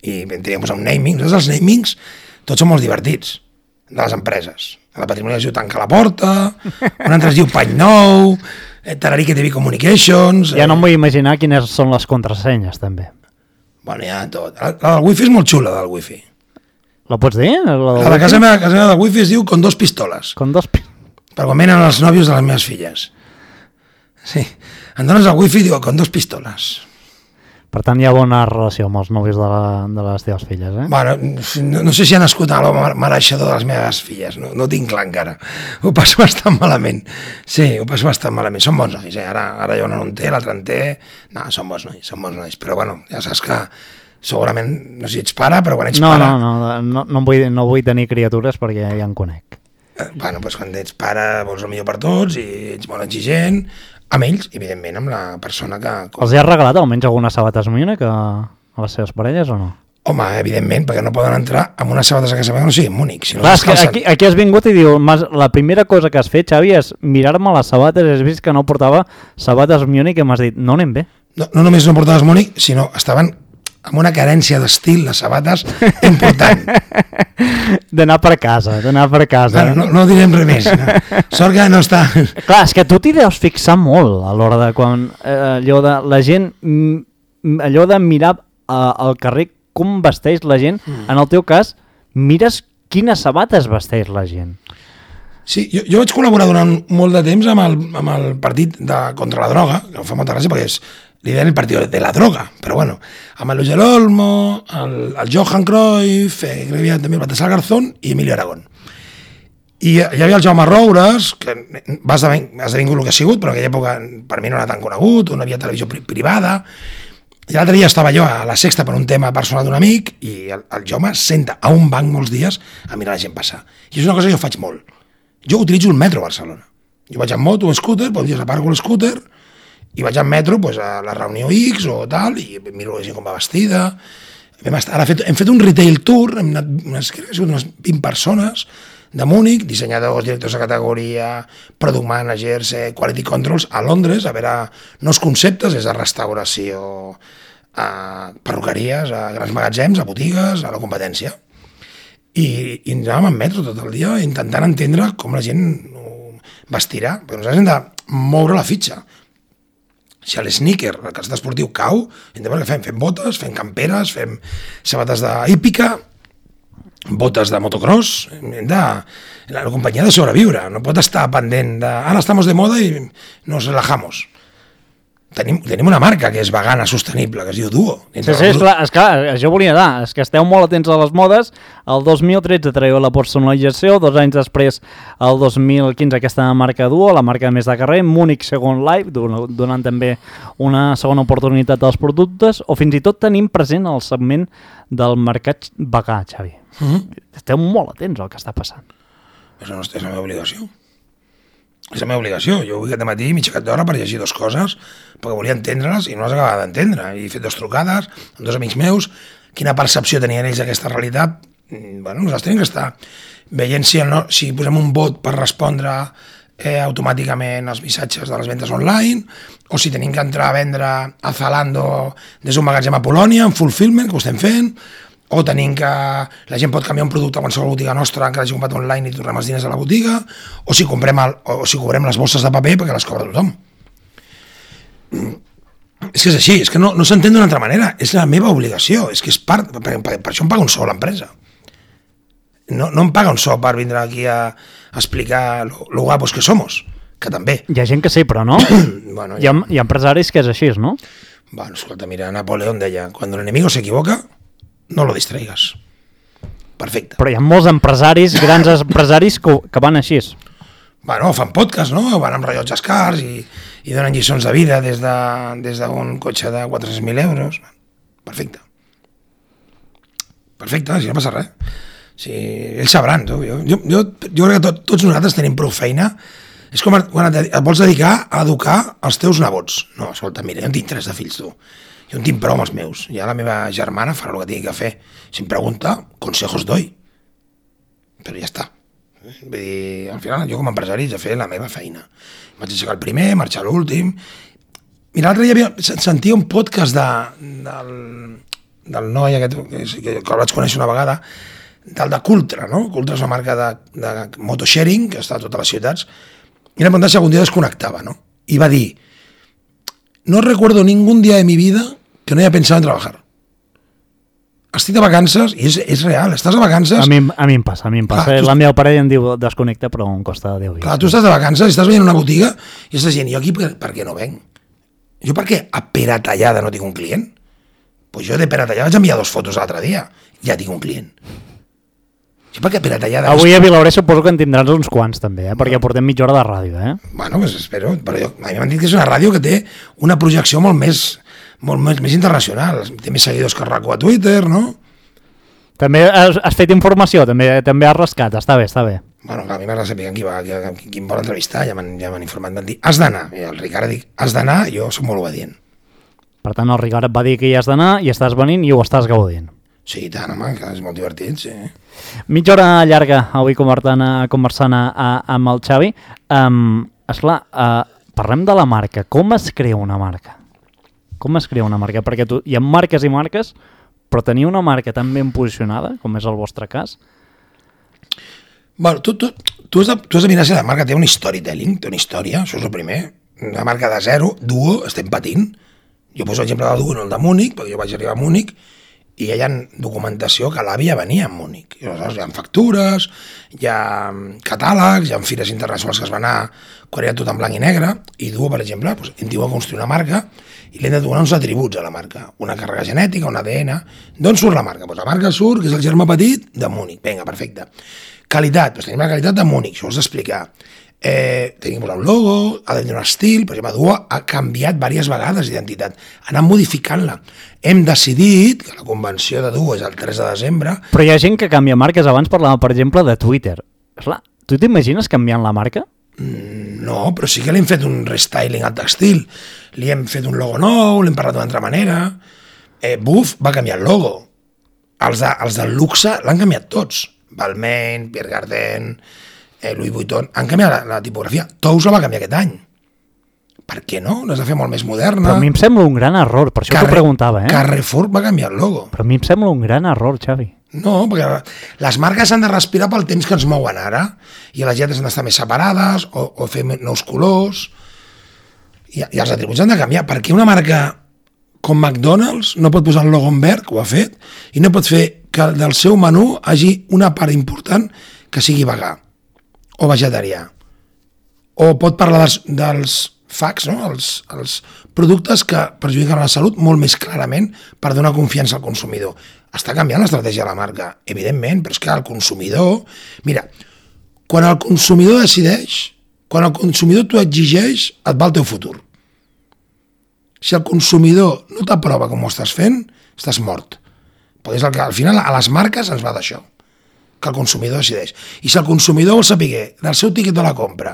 Speaker 3: I vam tenir un naming. Nosaltres els namings tots són molt divertits, de les empreses. La Patrimoni es diu Tanca la Porta, un altre es diu Pany Nou, Tararique T V Communications...
Speaker 2: Ja no em vull imaginar quines són les contrasenyes, també.
Speaker 3: Bueno, ja tot. La, la del wifi és molt xula, la del wifi.
Speaker 2: La pots dir? La,
Speaker 3: la de casa meva, casa meva del wifi es diu Con dos pistoles.
Speaker 2: Con dos pistoles.
Speaker 3: Per quan venen els nòvios de les meves filles. Sí. Em dones el wifi i diu Con dos pistoles.
Speaker 2: Per tant, hi ha bona relació amb els nòvios de, la, de les teves filles, eh?
Speaker 3: Bueno, no, no sé si ha nascut a l'home mereixedor de les meves filles, no, no ho tinc clar encara. Ho passo bastant malament. Sí, ho passo bastant malament. Són bons nois, eh? Ara, ara jo no en té, l'altre en té... No, són bons nois, són bons nois. Però bueno, ja saps que segurament, no sé si ets pare, però quan ets
Speaker 2: no,
Speaker 3: pare...
Speaker 2: No, no, no, no, vull, no vull tenir criatures perquè ja en conec.
Speaker 3: Eh, bueno, doncs quan ets pare vols el millor per tots i ets molt exigent... Amb ells, evidentment, amb la persona que...
Speaker 2: Els hi has regalat almenys algunes sabates Múnich a, a les seves parelles o no?
Speaker 3: Home, evidentment, perquè no poden entrar amb unes sabates a casa meva que no siguin Múnich. Si no
Speaker 2: Clar, és que aquí, aquí has vingut i diu, la primera cosa que has fet, Xavi, és mirar-me les sabates, has vist que no portava sabates Múnich i m'has dit, no anem bé.
Speaker 3: No, no només no portaves Múnich, sinó estaven amb una carència d'estil, les sabates, important.
Speaker 2: D'anar per casa, d'anar per casa.
Speaker 3: Bueno, no, no direm res més. No. Sort que no està...
Speaker 2: Clar, és que tu t'hi deus fixar molt a l'hora de quan eh, allò de la gent, allò de mirar eh, al carrer com vesteix la gent, mm. en el teu cas, mires quines sabates vesteix la gent.
Speaker 3: Sí, jo, jo vaig col·laborar durant molt de temps amb el, amb el partit de, contra la droga, que em fa molta gràcia perquè és li deien el partit de la droga, però bueno, amb el Luis del Olmo, el, el Johan Cruyff, eh, crec que hi havia també el Baltasar Garzón i Emilio Aragón. I hi havia el Jaume Roures, que va esdevingut el que ha sigut, però en aquella època per mi no era tan conegut, no havia televisió pri privada, i l'altre dia estava jo a la Sexta per un tema personal d'un amic, i el, el Jaume senta a un banc molts dies a mirar la gent passar. I és una cosa que jo faig molt. Jo utilitzo el metro a Barcelona. Jo vaig en moto, un scooter, bon dia aparco el scooter, i vaig en metro pues, a la reunió X o tal, i miro la gent com va vestida. Hem, estat, ara fet, hem fet un retail tour, hem anat unes, crec que han sigut unes vint persones de Múnich, dissenyadors, directors de categoria, product managers, eh, quality controls, a Londres, a veure nous conceptes, des de restauració, a perruqueries, a grans magatzems, a botigues, a la competència. I, i ens anàvem en metro tot el dia intentant entendre com la gent vestirà, perquè nosaltres hem de moure la fitxa. Si l'sneaker, el calçat esportiu, cau, entenem què fem? Fem botes, fem camperes, fem sabates d'hípica, botes de motocross, hem de... La companyia ha de sobreviure, no pot estar pendent de... Ara estamos de moda i nos relajamos. Tenim, tenim una marca que és vegana sostenible, que es diu Duo.
Speaker 2: Sí, sí, és clar, és clar, això volia dar, és que esteu molt atents a les modes. El dos mil tretze traieu la personalització, dos anys després, el dos mil quinze, aquesta marca Duo, la marca més de carrer, Múnich Second Life, donant també una segona oportunitat als productes, o fins i tot tenim present el segment del mercat vegà, Xavi. Mm-hmm. Esteu molt atents al que està passant.
Speaker 3: És la, és la meva obligació. És la meva obligació. Jo avui aquest matí m'he aixecat d'hora per llegir dues coses, perquè volia entendre-les i no les acabava d'entendre. I he fet dues trucades amb dos amics meus, quina percepció tenien ells d'aquesta realitat. Bueno, nosaltres tenim que estar veient si, no, si posem un bot per respondre eh, automàticament els missatges de les ventes online, o si tenim que entrar a vendre a Zalando des d'un magatzem a Polònia, en fulfillment, que ho estem fent, o tenim que la gent pot canviar un producte a qualsevol botiga nostra que l'hagi comprat online i tornem els diners a la botiga, o si comprem, el, o si cobrem les bosses de paper perquè les cobra tothom. És que és així, és que no, no s'entén d'una altra manera. És la meva obligació, és que és part... Per, per, per això em paga un sou l'empresa. No, no em paga un sou per vindre aquí a, a explicar lo, lo guapos que somos, que també.
Speaker 2: Hi ha gent que sí, però no.
Speaker 3: Bueno,
Speaker 2: hi, ha, hi ha empresaris que és així, no?
Speaker 3: Bueno, escolta, mira, Napoleón deia, cuando el enemigo se equivoca, no lo distraigas. Perfecte.
Speaker 2: Però hi ha molts empresaris, grans empresaris que, que van així.
Speaker 3: Bueno, fan podcast, no? Van amb rellotges cars i, i donen lliçons de vida des d'un de, des d'un cotxe de quatre-cents mil euros. Perfecte. Perfecte, si no passa res. Sí, ells sabran, tu. Jo, jo, jo, jo crec que tot, tots nosaltres tenim prou feina. És com quan et, et vols dedicar a educar els teus nebots. No, escolta, mira, jo en tinc tres de fills, tu. Jo en tinc prou amb els meus. Ja la meva germana farà el que tingui que fer. Si em pregunta, consejos doy. Però ja està. Vull dir, al final jo com a empresari he de fer la meva feina. Vaig aixecar el primer, marxar l'últim. Mira, l'altre dia havia, sentia un podcast de, del, del noi aquest, que, que el vaig conèixer una vegada, del de Cultra, no? Cultra és una marca de, de motosharing que està a totes les ciutats, i li preguntat si algun dia desconnectava, no? I va dir, no recuerdo ningún día de mi vida que no haya pensado en trabajar. Estic de vacances, i és, és real, estàs de vacances...
Speaker 2: A mi, a mi em passa, a mi em passa. Clar, la meva parella em diu desconnecta, però em costa deu dies.
Speaker 3: Clar, tu estàs de vacances, estàs veient una botiga i estàs dient, jo aquí per, per què no venc? Jo per què a Peratallada no tinc un client? Pues jo de Peratallada vaig enviar dos fotos l'altre dia, ja tinc un client. Jo per què a Peratallada...
Speaker 2: Avui a Vilauré suposo que en tindràs uns quants també, eh? Perquè portem mitja hora de ràdio, eh?
Speaker 3: Bueno, pues espero, però jo, a mi m'han dit que és una ràdio que té una projecció molt més... molt més, més internacional, té més seguidors que RACO a Twitter, no?
Speaker 2: També has, has fet informació, també també has rascat, està bé, està bé.
Speaker 3: Bueno, clar, a mi m'agrada saber qui, va, qui, qui em vol entrevistar, ja m'han ja informat, m'han dit, has d'anar, i el Ricard dic, has d'anar, jo soc molt obedient.
Speaker 2: Per tant, el Ricard et va dir que hi has d'anar i estàs venint i ho estàs gaudint.
Speaker 3: Sí, tant, home, que és molt divertit, sí.
Speaker 2: Mitja hora llarga, avui conversant, conversant a, a, amb el Xavi. Um, esclar, uh, parlem de la marca, com es crea una marca? Com es crea una marca? Perquè tu, hi ha marques i marques, però tenir una marca tan ben posicionada, com és el vostre cas...
Speaker 3: Bueno, tu, tu, tu, has de, tu has de mirar si la marca té un storytelling, té una història, això és el primer. Una marca de zero, Duo, estem patint. Jo poso l'exemple de Duo, no el de Múnich, perquè jo vaig arribar a Múnich, i hi ha documentació que l'àvia venia a Múnich. I aleshores hi ha factures, hi ha catàlegs, hi ha fires internacionals que es van anar quan era tot en blanc i negre, i Duo, per exemple, doncs, hem tingut a construir una marca i li hem de donar uns atributs a la marca, una càrrega genètica, un A D N. D'on surt la marca? Doncs la marca surt, que és el germà petit, de Múnich. Vinga, perfecte. Qualitat, doncs tenim la qualitat de Múnich, això ho has d'explicar. Eh, tenim un logo, ha de tenir un estil, per exemple, Duo ha canviat diverses vegades d'identitat, ha anat modificant-la. Hem decidit que la convenció de Duo és el tres de desembre...
Speaker 2: Però hi ha gent que canvia marques, abans parlava, per exemple, de Twitter. Esclar, tu t'imagines canviant la marca?
Speaker 3: Mm, no, però sí que li hem fet un restyling al textil, li hem fet un logo nou, l'hem parlat d'una altra manera... Eh, Buff va canviar el logo, els, de, els del luxe l'han canviat tots, Balmain, Pierre Cardin... Eh, Louis Vuitton, han canviat la, la tipografia. Tous la va canviar aquest any. Per què no? L'has de fer molt més moderna.
Speaker 2: Però a mi em sembla un gran error, per això Carre... t'ho preguntava, eh?
Speaker 3: Carrefour va canviar el logo.
Speaker 2: Però a mi em sembla un gran error, Xavi.
Speaker 3: No, perquè les marques han de respirar pel temps que ens mouen ara, i les lletres han d'estar més separades, o, o fer nous colors, i, i els atributs han de canviar. Perquè una marca com McDonald's no pot posar el logo en verd, que ho ha fet, i no pot fer que del seu menú hagi una part important que sigui vegà o vegetarià, o pot parlar dels, dels facs, no? els, els productes que perjudiquen la salut molt més clarament per donar confiança al consumidor. Està canviant l'estratègia de la marca, evidentment, però és que el consumidor... Mira, quan el consumidor decideix, quan el consumidor t'ho exigeix, et va el teu futur. Si el consumidor no t'aprova com ho estàs fent, estàs mort. Perquè és el que, al final, a les marques ens va d'això, que el consumidor decideix. I si el consumidor vol saber del seu tiquet de la compra...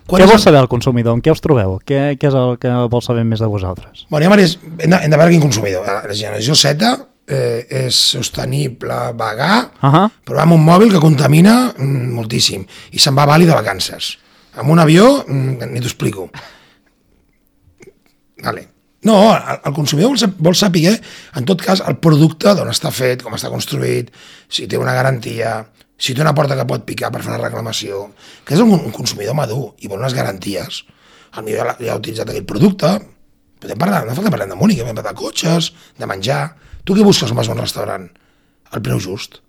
Speaker 2: Què vol saber el consumidor? En què us trobeu? Què, què és el que vol saber més de vosaltres?
Speaker 3: Bueno, hem de, hem de veure quin consumidor. La generació Z eh, és sostenible, vegà, uh -huh. però amb un mòbil que contamina mm, moltíssim i se'n va a Bali de vacances. Amb un avió, mm, ni t'ho explico. Vale. No, el, el consumidor vol, vol saber, en tot cas, el producte d'on està fet, com està construït, si té una garantia, si té una porta que pot picar per fer una reclamació, que és un, un consumidor madur i vol unes garanties. El millor ja, ja ha utilitzat aquell producte, Podem parlar, no fa que parlem de Múnich, podem parlar de cotxes, de menjar. Tu què busques quan vas a un restaurant? El preu just.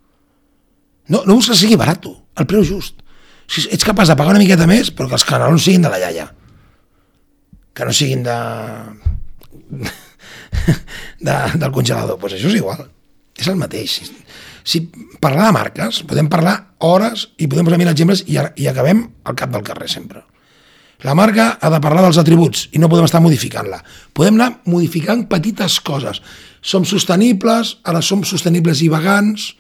Speaker 3: No, no busques que sigui barat, tu, el preu just. Si ets capaç de pagar una miqueta més, però que els canelons siguin de la iaia. Que no siguin de... de del congelador. Doncs pues això és igual. És el mateix. Si parlar de marques, podem parlar hores i podem posar mil exemples i, i acabem al cap del carrer sempre. La marca ha de parlar dels atributs i no podem estar modificant-la. Podem anar modificant petites coses. Som sostenibles, ara som sostenibles i vegans,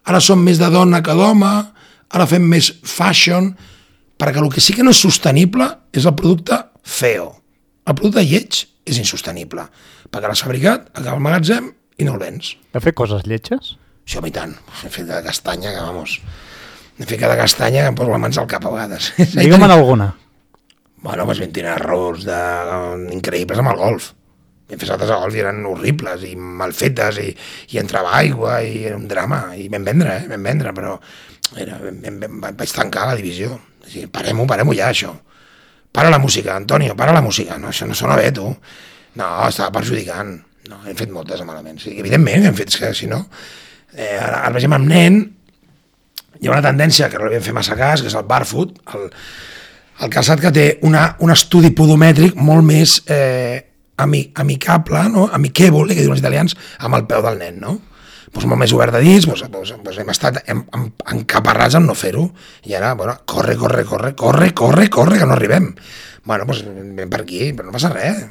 Speaker 3: ara som més de dona que d'home, ara fem més fashion, perquè el que sí que no és sostenible és el producte feo. El producte lleig és insostenible, perquè l'has fabricat, acaba al magatzem i no el vens.
Speaker 2: Has fet coses lletges?
Speaker 3: Això a mi tant. He fet de castanya, que vamos... He fet cada castanya que em poso les mans al cap a vegades.
Speaker 2: Digue'm alguna.
Speaker 3: Bueno, doncs vam tenir errors de... increïbles amb el golf. Vam fer saltes al golf i eren horribles i mal fetes i, i entrava aigua i era un drama. I vam vendre, eh? Vam vendre, però era, vam, vam, vaig tancar la divisió. O sigui, parem-ho, parem-ho ja, això. Para la música, Antonio, para la música. No, això no sona bé, tu. No, estava perjudicant. No, hem fet moltes malament. Sí, evidentment hem fet, que si no... Eh, ara, ara vegem amb nen, hi ha una tendència que no li vam fer massa cas, que és el barefoot, el, el calçat que té una, un estudi podomètric molt més eh, ami, amicable, no? Amichevole, que diuen els italians, amb el peu del nen, no? Pues molt més obert de dins, pues, pues, pues hem estat hem, hem, encaparrats amb no fer-ho, i ara, bueno, corre, corre, corre, corre, corre, corre, que no arribem. Bueno, pues anem per aquí, però no passa res.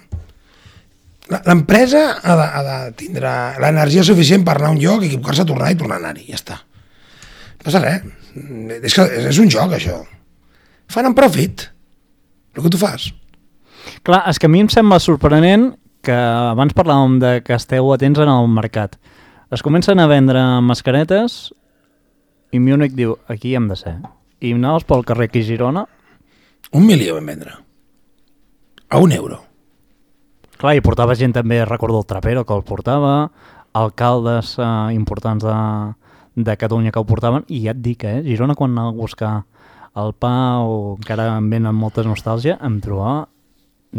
Speaker 3: L'empresa ha, de, ha de tindre l'energia suficient per anar a un lloc, equivocar-se, tornar i tornar a anar-hi, ja està. No passa res. És, que és un joc, això. Fan en profit, el que tu fas.
Speaker 2: Clar, és que a mi em sembla sorprenent que abans parlàvem de que esteu atents en el mercat. Es comencen a vendre mascaretes i Múnich diu, aquí hem de ser. I anaves pel carrer aquí a Girona...
Speaker 3: Un milió vam vendre. A un euro.
Speaker 2: Clar, i portava gent també, recordo el Trapero que el portava, alcaldes eh, importants de, de Catalunya que el portaven, i ja et dic, eh, Girona quan anava a buscar el pa o encara em venen moltes nostàlgia, em trobava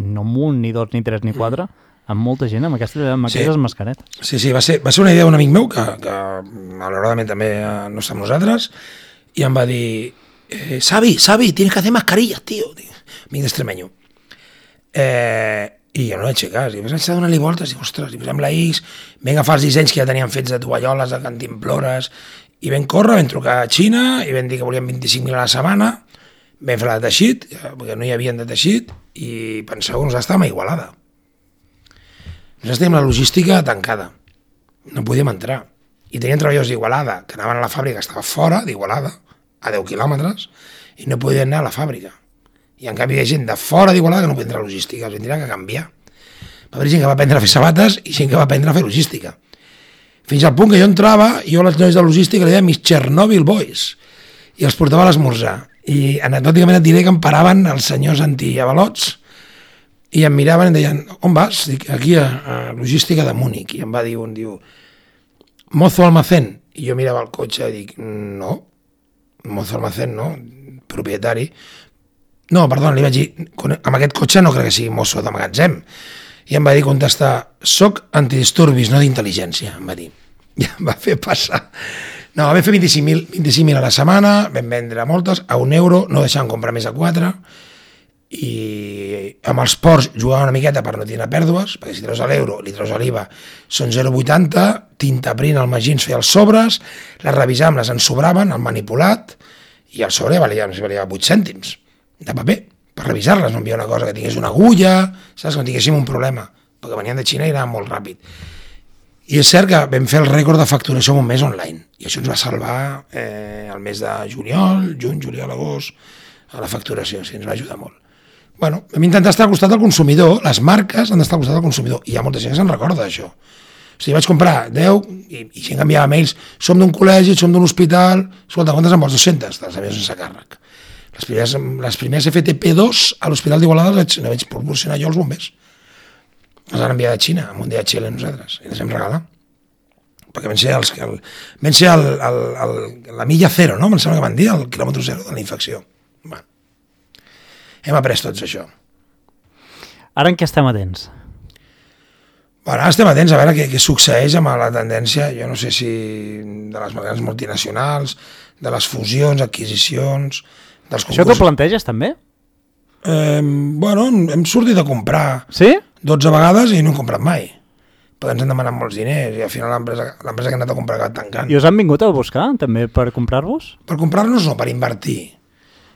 Speaker 2: no un, ni dos, ni tres, ni quatre, amb molta gent amb aquestes, amb aquestes sí. mascaretes.
Speaker 3: Sí, sí, va ser, va ser una idea d'un amic meu que, que malauradament també no està amb nosaltres, i em va dir, eh, Xavi, Xavi, tienes que hacer mascarillas, tío. Amic d'Extremenyo. Eh... I jo no vaig fer cas, i vaig anar a donar-li voltes, i ostres, i posem la X, vam agafar els dissenys que ja teníem fets de tovalloles, de cantimplores, i vam córrer, vam trucar a Xina, i vam dir que volíem vint-i-cinc mil a la setmana, vam fer la de teixit, perquè no hi havia de teixit, i penseu que nosaltres estàvem a Igualada. Nosaltres teníem la logística tancada, no podíem entrar, i teníem treballadors d'Igualada, que anaven a la fàbrica, que estava fora d'Igualada, a deu quilòmetres, i no podien anar a la fàbrica. I en canvi hi ha gent de fora d'Igualada que no pot entrar a logística, els tindran que canviar. Va haver gent que va aprendre a fer sabates i gent que va aprendre a fer logística. Fins al punt que jo entrava, jo als nois de logística li deia mis Chernobyl boys, i els portava a l'esmorzar. I anecdòticament et diré que em paraven els senyors antiavalots i em miraven i em deien, on vas? Dic, aquí a, a logística de Múnich. I em va dir un, diu, mozo almacén. I jo mirava el cotxe i dic, no, mozo almacén no, propietari. No, perdona, li vaig dir, amb aquest cotxe no crec que sigui mosso de magatzem. I em va dir contestar, soc antidisturbis, no d'intel·ligència, em va dir. I em va fer passar. No, vam fer vint-i-cinc mil a la setmana, vam vendre moltes, a un euro, no deixàvem comprar més a quatre, i amb els ports jugàvem una miqueta per no tenir pèrdues, perquè si treus a l'euro, li treus a l'I V A, són zero coma vuitanta, tinta print, el Magí ens feia els sobres, les revisàvem, les ensobraven, el manipulat, i el sobre valia, no sé, valia vuit cèntims de paper, per revisar-les, no enviar una cosa que tingués una agulla, saps, que no tinguéssim un problema, perquè venien de Xina i anava molt ràpid. I és cert que vam fer el rècord de facturació en un mes online, i això ens va salvar eh, el mes de juliol, juny, juliol, agost, a la facturació, sí, ens va ajudar molt. Bueno, hem intentat estar al costat del consumidor, les marques han d'estar al costat del consumidor, i hi ha molta gent que se'n recorda d'això. O sigui, vaig comprar deu, i, i gent que enviava mails, som d'un col·legi, som d'un hospital, escolta, quantes en vols? dues-centes, dels avions sense càrrec. Les primeres, les primeres F T P dos a l'Hospital d'Igualada les vaig proporcionar jo als bombers. Les han enviat a Xina, amb un D H L nosaltres, i les hem regalat. Perquè van ser, els, el, van ser el, el, el, la milla zero, no? Em sembla que van dir, el quilòmetre zero de la infecció. Bueno, hem après tots això.
Speaker 2: Ara en què estem atents?
Speaker 3: Bueno, ara estem atents a veure què, què succeeix amb la tendència, jo no sé si de les grans multinacionals, de les fusions, adquisicions, dels concursos.
Speaker 2: Això t'ho planteges també?
Speaker 3: Eh, bueno, hem sortit a comprar
Speaker 2: sí?
Speaker 3: dotze vegades i no hem comprat mai. Però ens han demanat molts diners i al final l'empresa que hem anat a comprar ha acabat tancant.
Speaker 2: I us han vingut a buscar també per comprar-vos?
Speaker 3: Per comprar-nos no, per invertir.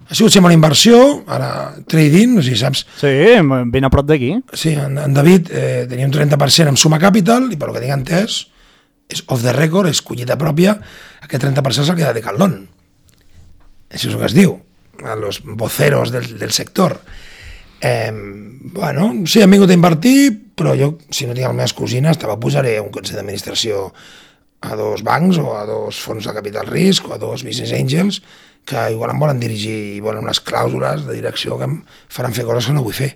Speaker 3: Ha sigut sempre una inversió, ara trading, no sé si saps.
Speaker 2: Sí, ben a prop d'aquí.
Speaker 3: Sí, en, en David eh, tenia un trenta per cent amb Suma Capital i per lo que tinc entès, és off the record, és collita pròpia, aquest trenta per cent se'l queda de Decathlon. Això és el que es diu, a los voceros del, del sector. Eh, bueno, sí, han vingut a invertir, però jo, si no tinc les meves cosines, te posaré un consell d'administració a dos bancs o a dos fons de capital risc o a dos business angels que igual em volen dirigir i volen unes clàusules de direcció que em faran fer coses que no vull fer.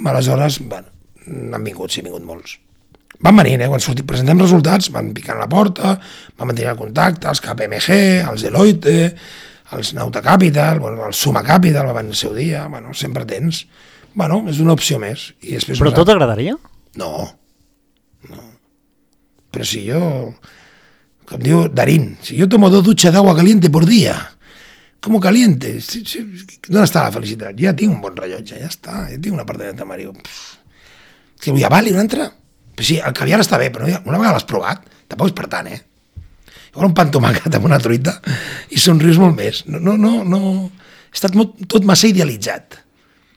Speaker 3: Aleshores, bueno, han vingut, sí, han vingut molts. Van venint, eh? Quan sortim, presentem resultats, van picant a la porta, van mantenir el contacte, els K P M G, els Deloitte, els Nauta Capital, bueno, el Suma Capital va venir el seu dia, bueno, sempre tens. Bueno, és una opció més. I després
Speaker 2: Però tot t'agradaria?
Speaker 3: No, no. Pero si yo, como digo Darín, si yo tomo dos duchas de agua caliente por día, ¿cómo caliente? Si, si, ¿dónde está la felicidad? Ya tengo un bon rellotge, ja està, ja tinc una part de tamariu. Que vull aval i una altra? Però sí, el caviar està bé, però una vegada l'has provat, tampoc és per tant, eh? Igual un pa amb tomàquet amb una truita i somrius molt més. No, no, no, no. Ha estat molt, tot massa idealitzat.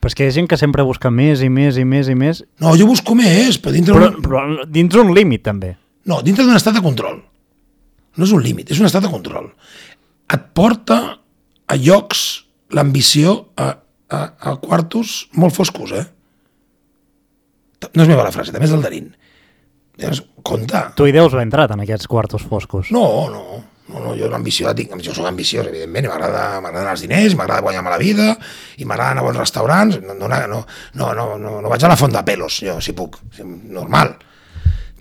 Speaker 2: Però és que hi ha gent que sempre busca més i més i més i més.
Speaker 3: No, jo busco més, però dintre
Speaker 2: però,
Speaker 3: un...
Speaker 2: però dintre un límit, també.
Speaker 3: No, dintre d'un estat de control. No és un límit, és un estat de control. Et porta a llocs l'ambició a, a, a quartos molt foscos, eh? No és meva la frase, també és del Darín. Llavors, compte.
Speaker 2: Tu hi deus haver entrat en aquests quartos foscos.
Speaker 3: No, no, no, no jo l'ambició la tinc. Jo soc ambiciós, evidentment, i m'agraden els diners, m'agrada guanyar-me la vida, i m'agrada anar a bons restaurants. No, no, no, no, no, no, no vaig a la font de pelos, jo, si puc. Normal.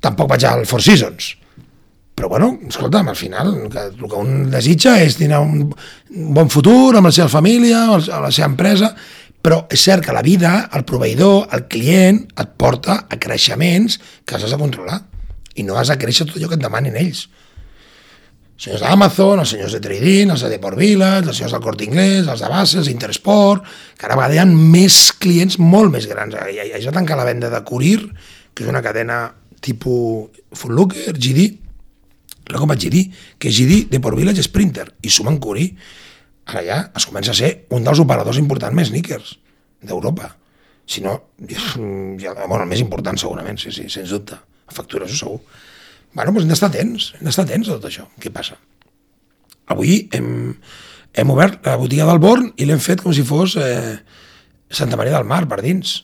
Speaker 3: Tampoc vaig al Four Seasons. Però, bueno, escolta'm, al final, que, el que un desitja és tenir un, un bon futur amb la seva família, amb la seva empresa, però és cert que la vida, el proveïdor, el client, et porta a creixements que has de controlar. I no has de créixer tot allò que et demanin ells. Els senyors d'Amazon, els senyors de Trading, els de Deport Village, els senyors del Corte Inglés, els de Base, els Intersport, cada vegada hi ha més clients molt més grans. Ja, ja es va tancar la venda de Courier, que és una cadena tipus Foot Locker, G D, la com vaig G D, que G D, Deport Village, Sprinter, i sumen Courier. Ara ja es comença a ser un dels operadors importants més sneakers d'Europa. Si no, ja, bueno, el més important segurament, sí, sí, sens dubte. A factures, ho segur. Bueno, doncs hem d'estar atents, hem d'estar atents a tot això. Què passa? Avui hem, hem obert la botiga del Born i l'hem fet com si fos eh, Santa Maria del Mar, per dins.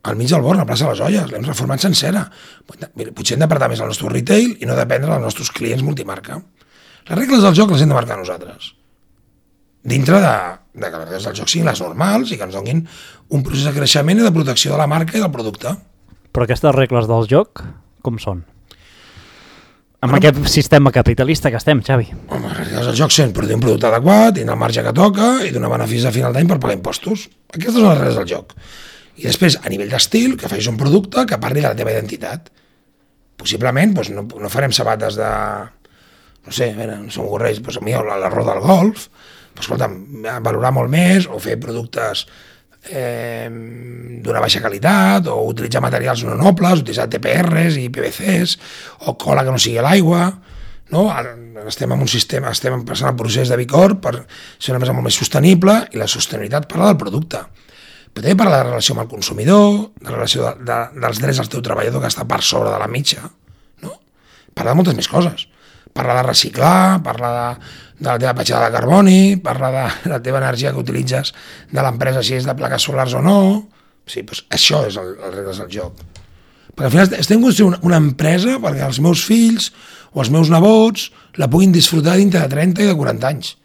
Speaker 3: Al mig del Born, a la plaça de les Olles, l'hem reformat sencera. Potser hem d'apartar més el nostre retail i no dependre dels nostres clients multimarca. Les regles del joc les hem de marcar nosaltres. Dintre de, de que les regles del joc siguin les normals i que ens donin un procés de creixement i de protecció de la marca i del producte.
Speaker 2: Però aquestes regles del joc, com són? Amb bueno, aquest sistema capitalista que estem, Xavi.
Speaker 3: Home, les regles del joc són produir un producte adequat, tenir el marge que toca i donar beneficis a final d'any per pagar impostos. Aquestes són les regles del joc. I després, a nivell d'estil, que facis un producte que parli de la teva identitat. Possiblement, doncs, no, no farem sabates de... No sé, a veure, no som corrents, doncs a mi l'arròs del golf, doncs, escolta, valorar molt més, o fer productes eh, d'una baixa qualitat, o utilitzar materials no nobles, utilitzar T P Rs i P V Cs, o cola que no sigui a l'aigua, no? Ara estem en un sistema, estem passant el procés de B Corp per ser una empresa molt més sostenible, i la sostenibilitat parla del producte. Però també parla de la relació amb el consumidor, de la relació de, de, dels drets del teu treballador que està per sobre de la mitja, no? Parla de moltes més coses. Parla de reciclar, parla de, de la teva petjada de carboni, parla de la teva energia que utilitzes de l'empresa, si és de plaques solars o no. Sí, doncs això és el, el regles del joc. Perquè al final estem construint una, una empresa perquè els meus fills o els meus nebots la puguin disfrutar dintre de trenta i de quaranta anys.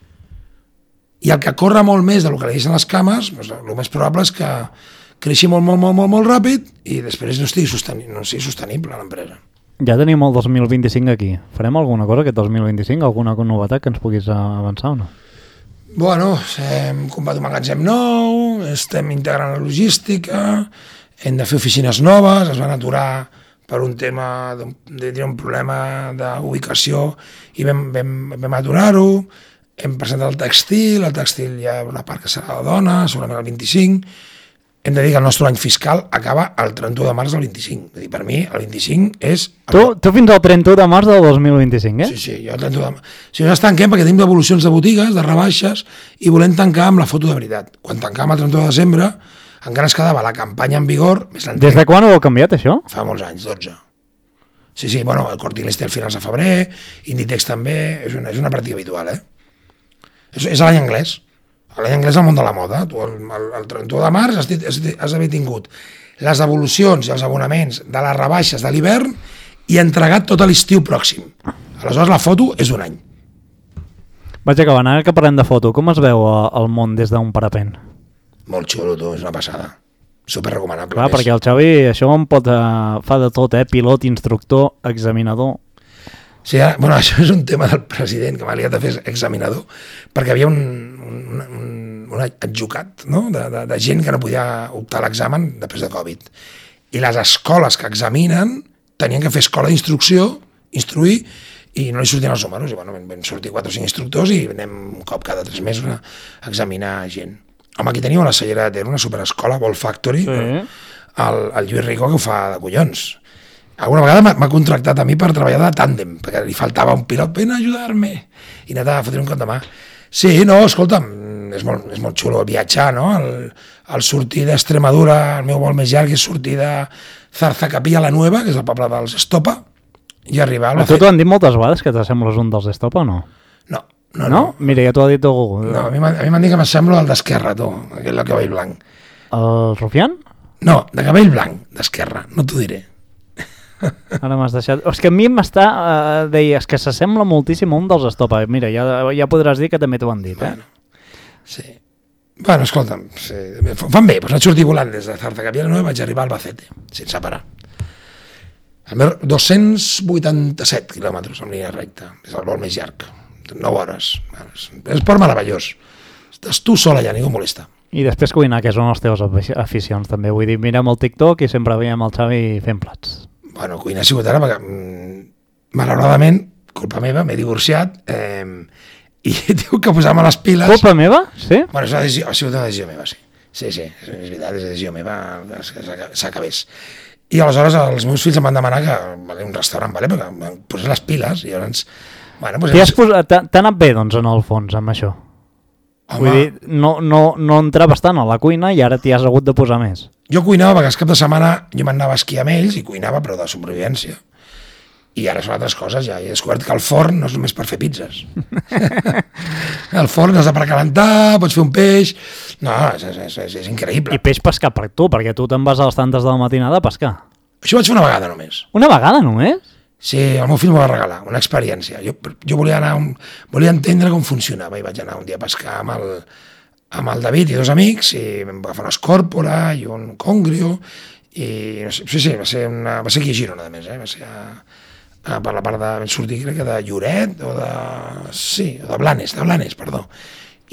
Speaker 3: I el que corre molt més del que li deixen les cames, doncs, el més probable és que creixi molt, molt, molt, molt, molt ràpid i després no estigui sostenible, no sigui sostenible l'empresa.
Speaker 2: Ja tenim el dos mil vint-i-cinc aquí. Farem alguna cosa aquest dos mil vint-i-cinc? Alguna novetat que ens puguis avançar o no?
Speaker 3: Bueno, hem comprat un magatzem nou, estem integrant la logística, hem de fer oficines noves, es van aturar per un tema, d'un, de, un problema d'ubicació, i vam, vam, vam aturar-ho, hem presentat el tèxtil, el tèxtil hi ha una part que serà la dona, segurament el vint-i-cinc, hem de dir que el nostre any fiscal acaba el trenta-u de març del vint-i-cinc. És a dir, per mi, el vint-i-cinc és...
Speaker 2: Tu, tu fins al trenta-u de març del dos mil vint-i-cinc, eh?
Speaker 3: Sí, sí, jo el trenta-u de març. Si nosaltres tanquem perquè tenim devolucions de botigues, de rebaixes, i volem tancar amb la foto de veritat. Quan tancàvem el trenta-u de desembre, encara ens quedava la campanya en vigor... Més
Speaker 2: Des de quan ho heu canviat, això?
Speaker 3: Fa molts anys, dotze. Sí, sí, bueno, el Corte Inglés té el finals de febrer, Inditex també, és una, és una pràctica habitual, eh? És, és l'any anglès. L'any anglès al món de la moda. Tu, el, el, el trenta-u de març has, has, has d'haver tingut les devolucions i els abonaments de les rebaixes de l'hivern i entregat tot l'estiu pròxim. Aleshores la foto és d'un any.
Speaker 2: Vaig acabant, ara que parlem de foto, com es veu el món des d'un parapent?
Speaker 3: Molt xulo, tu, és una passada. Super recomanable.
Speaker 2: Clar, perquè el Xavi això em pot, uh, fa de tot, eh? Pilot, instructor, examinador...
Speaker 3: Sí, ara, bueno, això és un tema del president que m'ha liat a fer examinador, perquè havia un, un, un, un adjucat, no? de, de, de gent que no podia optar a l'examen després de Covid. I les escoles que examinen tenien que fer escola d'instrucció, instruir, i no li sortien els números. I bueno, vam sortir quatre o cinc instructors i anem un cop cada tres mesos a examinar gent. Home, aquí teníem la Cellera de Ter, una superescola, Ball Factory, sí. el, el Lluís Rico, que ho fa de collons. Alguna vegada m'ha contractat a mi per treballar de tàndem, perquè li faltava un pilot, ven a ajudar-me, i anava a fotre un cop de mà. Sí, no, escolta'm, és molt, és molt xulo viatjar, no? El, el sortir d'Extremadura, el meu vol més llarg és sortir de Zarzacapilla la Nueva, que és el poble dels Estopa, i arribar a la...
Speaker 2: A tu t'ho han dit moltes vegades que t'assembles un dels Estopa o no?
Speaker 3: No. No,
Speaker 2: no?
Speaker 3: no?
Speaker 2: Mira, ja t'ho ha dit algú.
Speaker 3: No, a mi m'han dit que m'assemblo al d'Esquerra, tu, aquell de cabell blanc.
Speaker 2: El Rufián?
Speaker 3: No, de cabell blanc, d'Esquerra, no t'ho diré.
Speaker 2: Ara m'has deixat... És que a mi m'està... Uh, deies que s'assembla moltíssim a un dels Estopa. Mira, ja, ja podràs dir que també t'ho han dit, eh?
Speaker 3: Bueno, sí. Bueno, escolta'm, sí. Fan bé, doncs vaig sortir volant des de Zarzacapilla i vaig arribar a Albacete, sense parar. dos-cents vuitanta-set quilòmetres en línia recta, és el vol més llarg, nou hores. És esport meravellós. Estàs tu sola allà, ningú molesta.
Speaker 2: I després cuinar, que són les teves aficions, també. Vull dir, mirem el TikTok i sempre veiem el Xavi fent plats.
Speaker 3: Bueno, cuinar ha sigut ara perquè, mmm, malauradament, culpa meva, m'he divorciat eh, i tinc que posar-me les piles.
Speaker 2: Culpa meva? Sí?
Speaker 3: Bueno, és una decisió, ha sigut una decisió meva, sí. Sí, sí, és veritat, és una decisió meva, s'acabés. I aleshores els meus fills em van demanar que vale, un restaurant, vale, perquè em posés les piles i llavors... Bueno, pues,
Speaker 2: T'ha posat... anat bé, doncs, en el fons, amb això? Home. Vull dir, no, no, no entraves tant a la cuina i ara t'hi has hagut de posar més.
Speaker 3: Jo cuinava perquè els cap de setmana jo m'anava a esquiar amb ells i cuinava, però de supervivència. I ara són altres coses, ja he descobert que el forn no és només per fer pizzas. El forn és per calentar, pots fer un peix... No, és, és, és, és increïble.
Speaker 2: I peix pescar per tu, perquè tu te'n vas a les tantes de la matinada a pescar.
Speaker 3: Això ho vaig fer una vegada només.
Speaker 2: Una vegada només?
Speaker 3: Sí, el meu fill m'ho va regalar, una experiència. Jo, jo volia anar, un, volia entendre com funcionava i vaig anar un dia a pescar amb el, amb el David i dos amics i vam agafar una escòrpora i un congrio i no sé, sí, sí, va ser, una, va ser aquí a Girona, a més, eh? Va ser a, a, per la part de, vam sortir crec que de Lloret o de, sí, o de Blanes, de Blanes, perdó.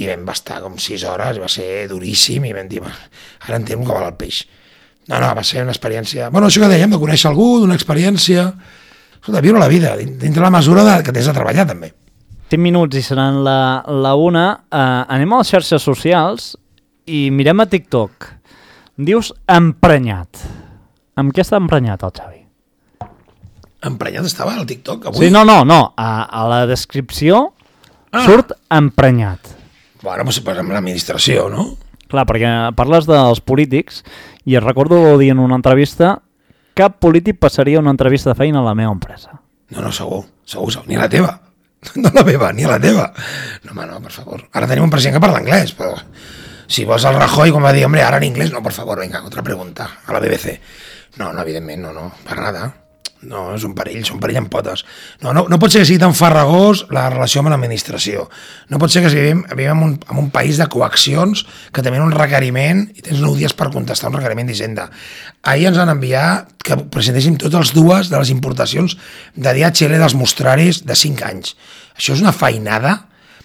Speaker 3: I vam estar com sis hores, va ser duríssim i vam dir, ara entenc com va el peix. No, no, va ser una experiència, bueno, això que dèiem, de conèixer algú, d'una experiència... Escolta, viure la vida, dintre la mesura de, que tens de treballar, també.
Speaker 2: cinc minuts i seran la, la una. Uh, anem a les xarxes socials i mirem a TikTok. Dius emprenyat. Amb què està emprenyat el Xavi?
Speaker 3: Emprenyat estava al TikTok avui?
Speaker 2: Sí, no, no, no. A, a la descripció ah. surt emprenyat.
Speaker 3: Bueno, doncs amb l'administració, no?
Speaker 2: Clar, perquè parles dels polítics i et recordo dir en una entrevista cap polític passaria una entrevista de feina a la meva empresa.
Speaker 3: No, no, segur, segur, segur. Ni a la teva. No a la meva, ni a la teva. No, home, no, per favor. Ara tenim un president que parla anglès, però si vols el Rajoy, com va dir, hombre, ara en anglès, no, per favor, venga, otra pregunta, a la B B C. No, no, evidentment, no, no, per nada. No, és un perill, són perill en potes. No, no, no pot ser que sigui tan farragós la relació amb l'administració. No pot ser que vivim, vivim en, un, en un país de coaccions que tenen un requeriment i tens nou dies per contestar un requeriment d'Hisenda. Ahir ens han enviat que presentéssim totes les dues de les importacions de D H L dels mostraris de cinc anys. Això és una feinada?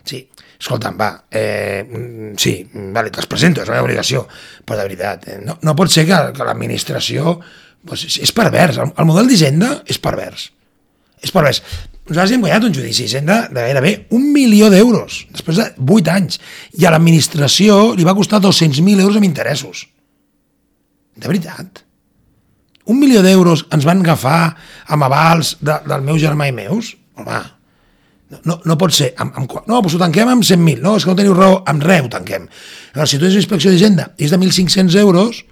Speaker 3: Sí, escolta'm, va, eh, sí, vale, te'ls presento, és la meva obligació, però de veritat, eh, no, no pot ser que, que l'administració Pues és pervers, el model d'Hisenda és pervers. És pervers. Nosaltres hem guanyat un judici d'Hisenda de gairebé un milió d'euros, després de vuit anys, i a l'administració li va costar dos-cents mil euros amb interessos. De veritat. Un milió d'euros ens van agafar amb avals de, del meu germà i meus? Home, no, no, no pot ser. Amb, amb, no, doncs ho tanquem amb cent mil. No, és que no teniu raó, amb res ho tanquem. Llavors, si tu tens una inspecció d'Hisenda i és de mil cinc-cents euros,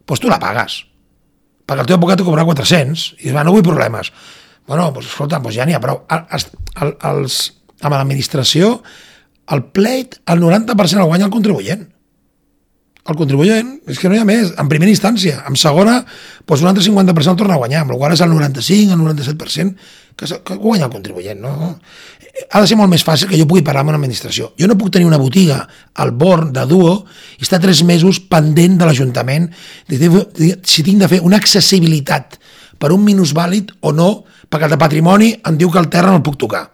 Speaker 3: doncs tu la pagues. Perquè el teu advocat te cobrarà quatre-cents i dius, va, no vull problemes. Bueno, doncs escolta, doncs ja n'hi ha prou. Els, els, amb l'administració, el pleit, el noranta per cent el guanya el contribuent. El contribuent, és que no hi ha més, en primera instància. En segona, doncs un altre cinquanta per cent el torna a guanyar, amb el qual és el noranta-cinc, el noranta-set per cent que, que guanya el contribuent. No? Ha de ser molt més fàcil que jo pugui parlar amb una administració. Jo no puc tenir una botiga al Born de Duo i estar tres mesos pendent de l'Ajuntament si tinc de fer una accessibilitat per un minusvàlid o no, perquè el de patrimoni em diu que el terra no el puc tocar.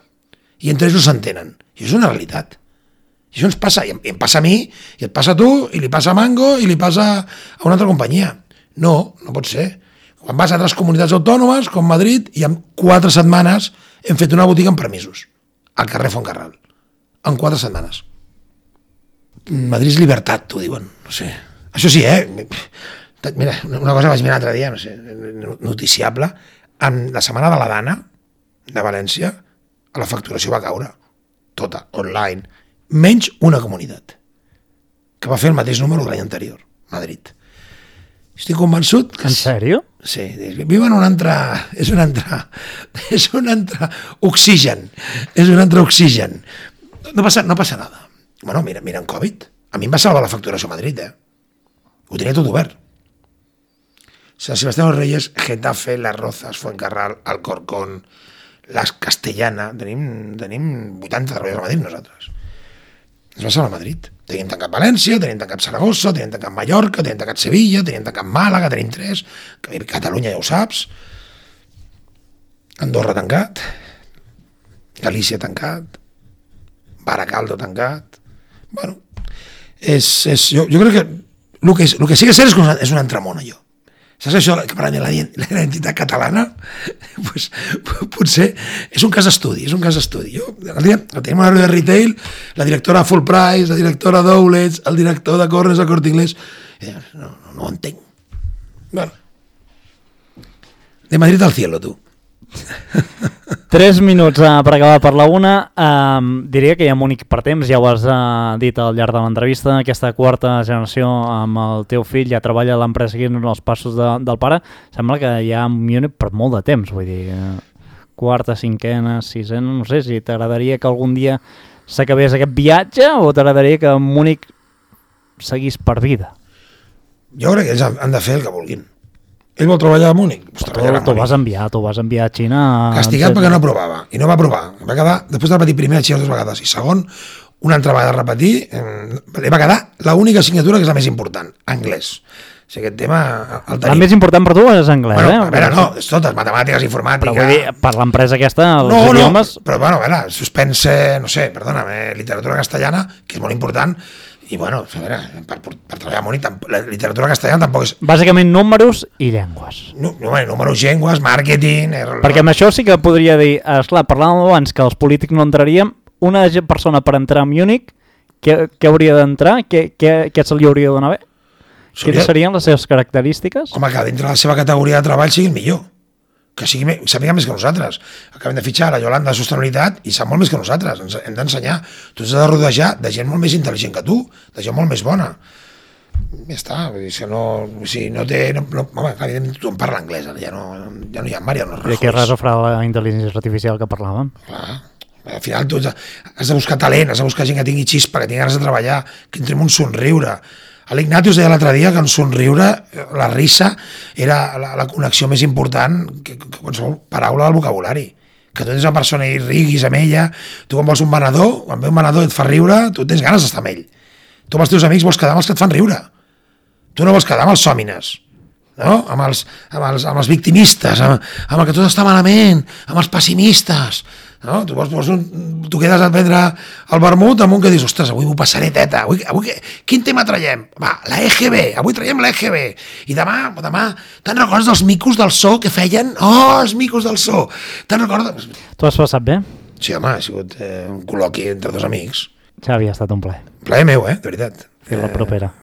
Speaker 3: I entre ells no s'entenen. I això és una realitat. I això ens passa, i em passa a mi, i et passa a tu, i li passa a Mango, i li passa a una altra companyia. No, no pot ser. Quan vas a altres comunitats autònomes, com Madrid, i en quatre setmanes hem fet una botiga amb permisos, al carrer Fontcarral. En quatre setmanes. Madrid és llibertat, t'ho diuen. No sé. Això sí, eh? Mira, una cosa vaig mirar l'altre dia, no sé, noticiable, en la setmana de la Dana, de València, la facturació va caure. Tota, online. Menys una comunitat que va fer el mateix número de l'any anterior, Madrid. Estic convençut que...
Speaker 2: En sèrio?
Speaker 3: Sí, viu en un altre... És un altre... És un altre oxigen. És un altre oxigen. No passa, no passa nada. Bueno, mira, mira en Covid. A mi em va salvar la facturació a Madrid, eh? Ho tenia tot obert. Sant Sebastián de los Reyes, Getafe, Las Rozas, Fuencarral, Alcorcón, Las Castellana... Tenim, tenim vuitanta treballadors a Madrid, nosaltres. Ens va salvar a Madrid. Tenim tancat València, tenim tancat Saragossa, tenim tancat Mallorca, tenim tancat Sevilla, tenim tancat Màlaga, tenim tres, Catalunya ja ho saps, Andorra tancat, Galícia tancat, Baracaldo tancat. Bueno, és, és, jo, jo crec que el que, el que sí que és cert és que és un entramón, allò. Saps això que parlem de la identitat catalana? Pues, potser és un cas d'estudi, és un cas d'estudi. Jo, el dia, tenim una reunió de retail, la directora de Full Price, la directora d'Outlets, el director de Corners del Corte Inglés, i dic, no, no, no ho entenc. Bueno, de Madrid al cielo, tu.
Speaker 2: Tres minuts uh, per acabar per la una. Uh, diria que hi ha únic per temps, ja ho has uh, dit al llarg de l'entrevista, aquesta quarta generació amb el teu fill ja treballa a l'empresa seguint els passos de, del pare. Sembla que hi ha Múnich per molt de temps, vull dir, uh, quarta, cinquena, sisena, no sé si t'agradaria que algun dia s'acabés aquest viatge o t'agradaria que Múnich seguís per vida?
Speaker 3: Jo crec que ells han de fer el que vulguin. Ell vol treballar a Múnich? Pues
Speaker 2: t'ho vas enviar, t'ho vas enviar a Xina...
Speaker 3: Castigat perquè no aprovava, i no va aprovar. Va quedar, després de repetir primer a Xina dues vegades, i segon, una altra vegada de repetir, eh, va quedar l'única assignatura que és la més important, anglès. O sigui, aquest tema el tenim.
Speaker 2: La més important per tu és anglès,
Speaker 3: bueno,
Speaker 2: eh?
Speaker 3: A veure, no, és totes, matemàtiques, informàtica...
Speaker 2: Però vull dir, per l'empresa aquesta, els
Speaker 3: no,
Speaker 2: idiomes...
Speaker 3: No, però bueno, a veure, suspense, no sé, perdona'm, eh, literatura castellana, que és molt important, i bueno, a veure, per, per, per treballar a Múnich, la literatura castellana tampoc és...
Speaker 2: Bàsicament números i llengües.
Speaker 3: No, no, números, llengües, màrqueting... Er...
Speaker 2: Perquè amb això sí que podria dir, esclar, parlàvem abans que els polítics no entraríem, una persona per entrar a Múnich, què, què hauria d'entrar? Què, què, què se li hauria de donar bé? Seria... Quines serien les seves característiques?
Speaker 3: Home, que dintre de la seva categoria de treball sigui el millor. Que sigui, sàpiga més que nosaltres. Acabem de fitxar la Yolanda de Sostenibilitat i sap molt més que nosaltres. Ens hem d'ensenyar. Tu has de rodejar de gent molt més intel·ligent que tu, de gent molt més bona. Ja està. Vull dir, si no, si no té... No, no, home, evidentment tothom parla anglès, ja no, ja no hi ha Mariano Rajoy.
Speaker 2: I què res ho farà la intel·ligència artificial que parlàvem?
Speaker 3: Clar. Al final tu has de buscar talent, has de buscar gent que tingui xispa, que tingui ganes de treballar, que entri en un somriure. L'Ignatius deia l'altre dia que en somriure, la risa, era la, la connexió més important que, que qualsevol paraula del vocabulari. Que tu tens una persona i riguis amb ella, tu quan vols un venedor, quan ve un venedor i et fa riure, tu tens ganes d'estar amb ell. Tu amb els teus amics vols quedar amb els que et fan riure. Tu no vols quedar amb els sòmines, no? amb, els, amb, els, amb els victimistes, amb, amb el que tot està malament, amb els pessimistes. no? Tu, vols, vols un, tu quedes a prendre el vermut amb un que dius, ostres, avui m'ho passaré teta, avui, avui, quin tema traiem? Va, la E G B, avui traiem la E G B, i demà, demà, te'n recordes dels micos del so que feien? Oh, els micos del so! Te'n recordes?
Speaker 2: Tu has passat bé?
Speaker 3: Sí, home, ha sigut eh, un col·loqui entre dos amics.
Speaker 2: Xavi, ha estat un plaer.
Speaker 3: Plaer meu, eh, de veritat.
Speaker 2: Fins la propera.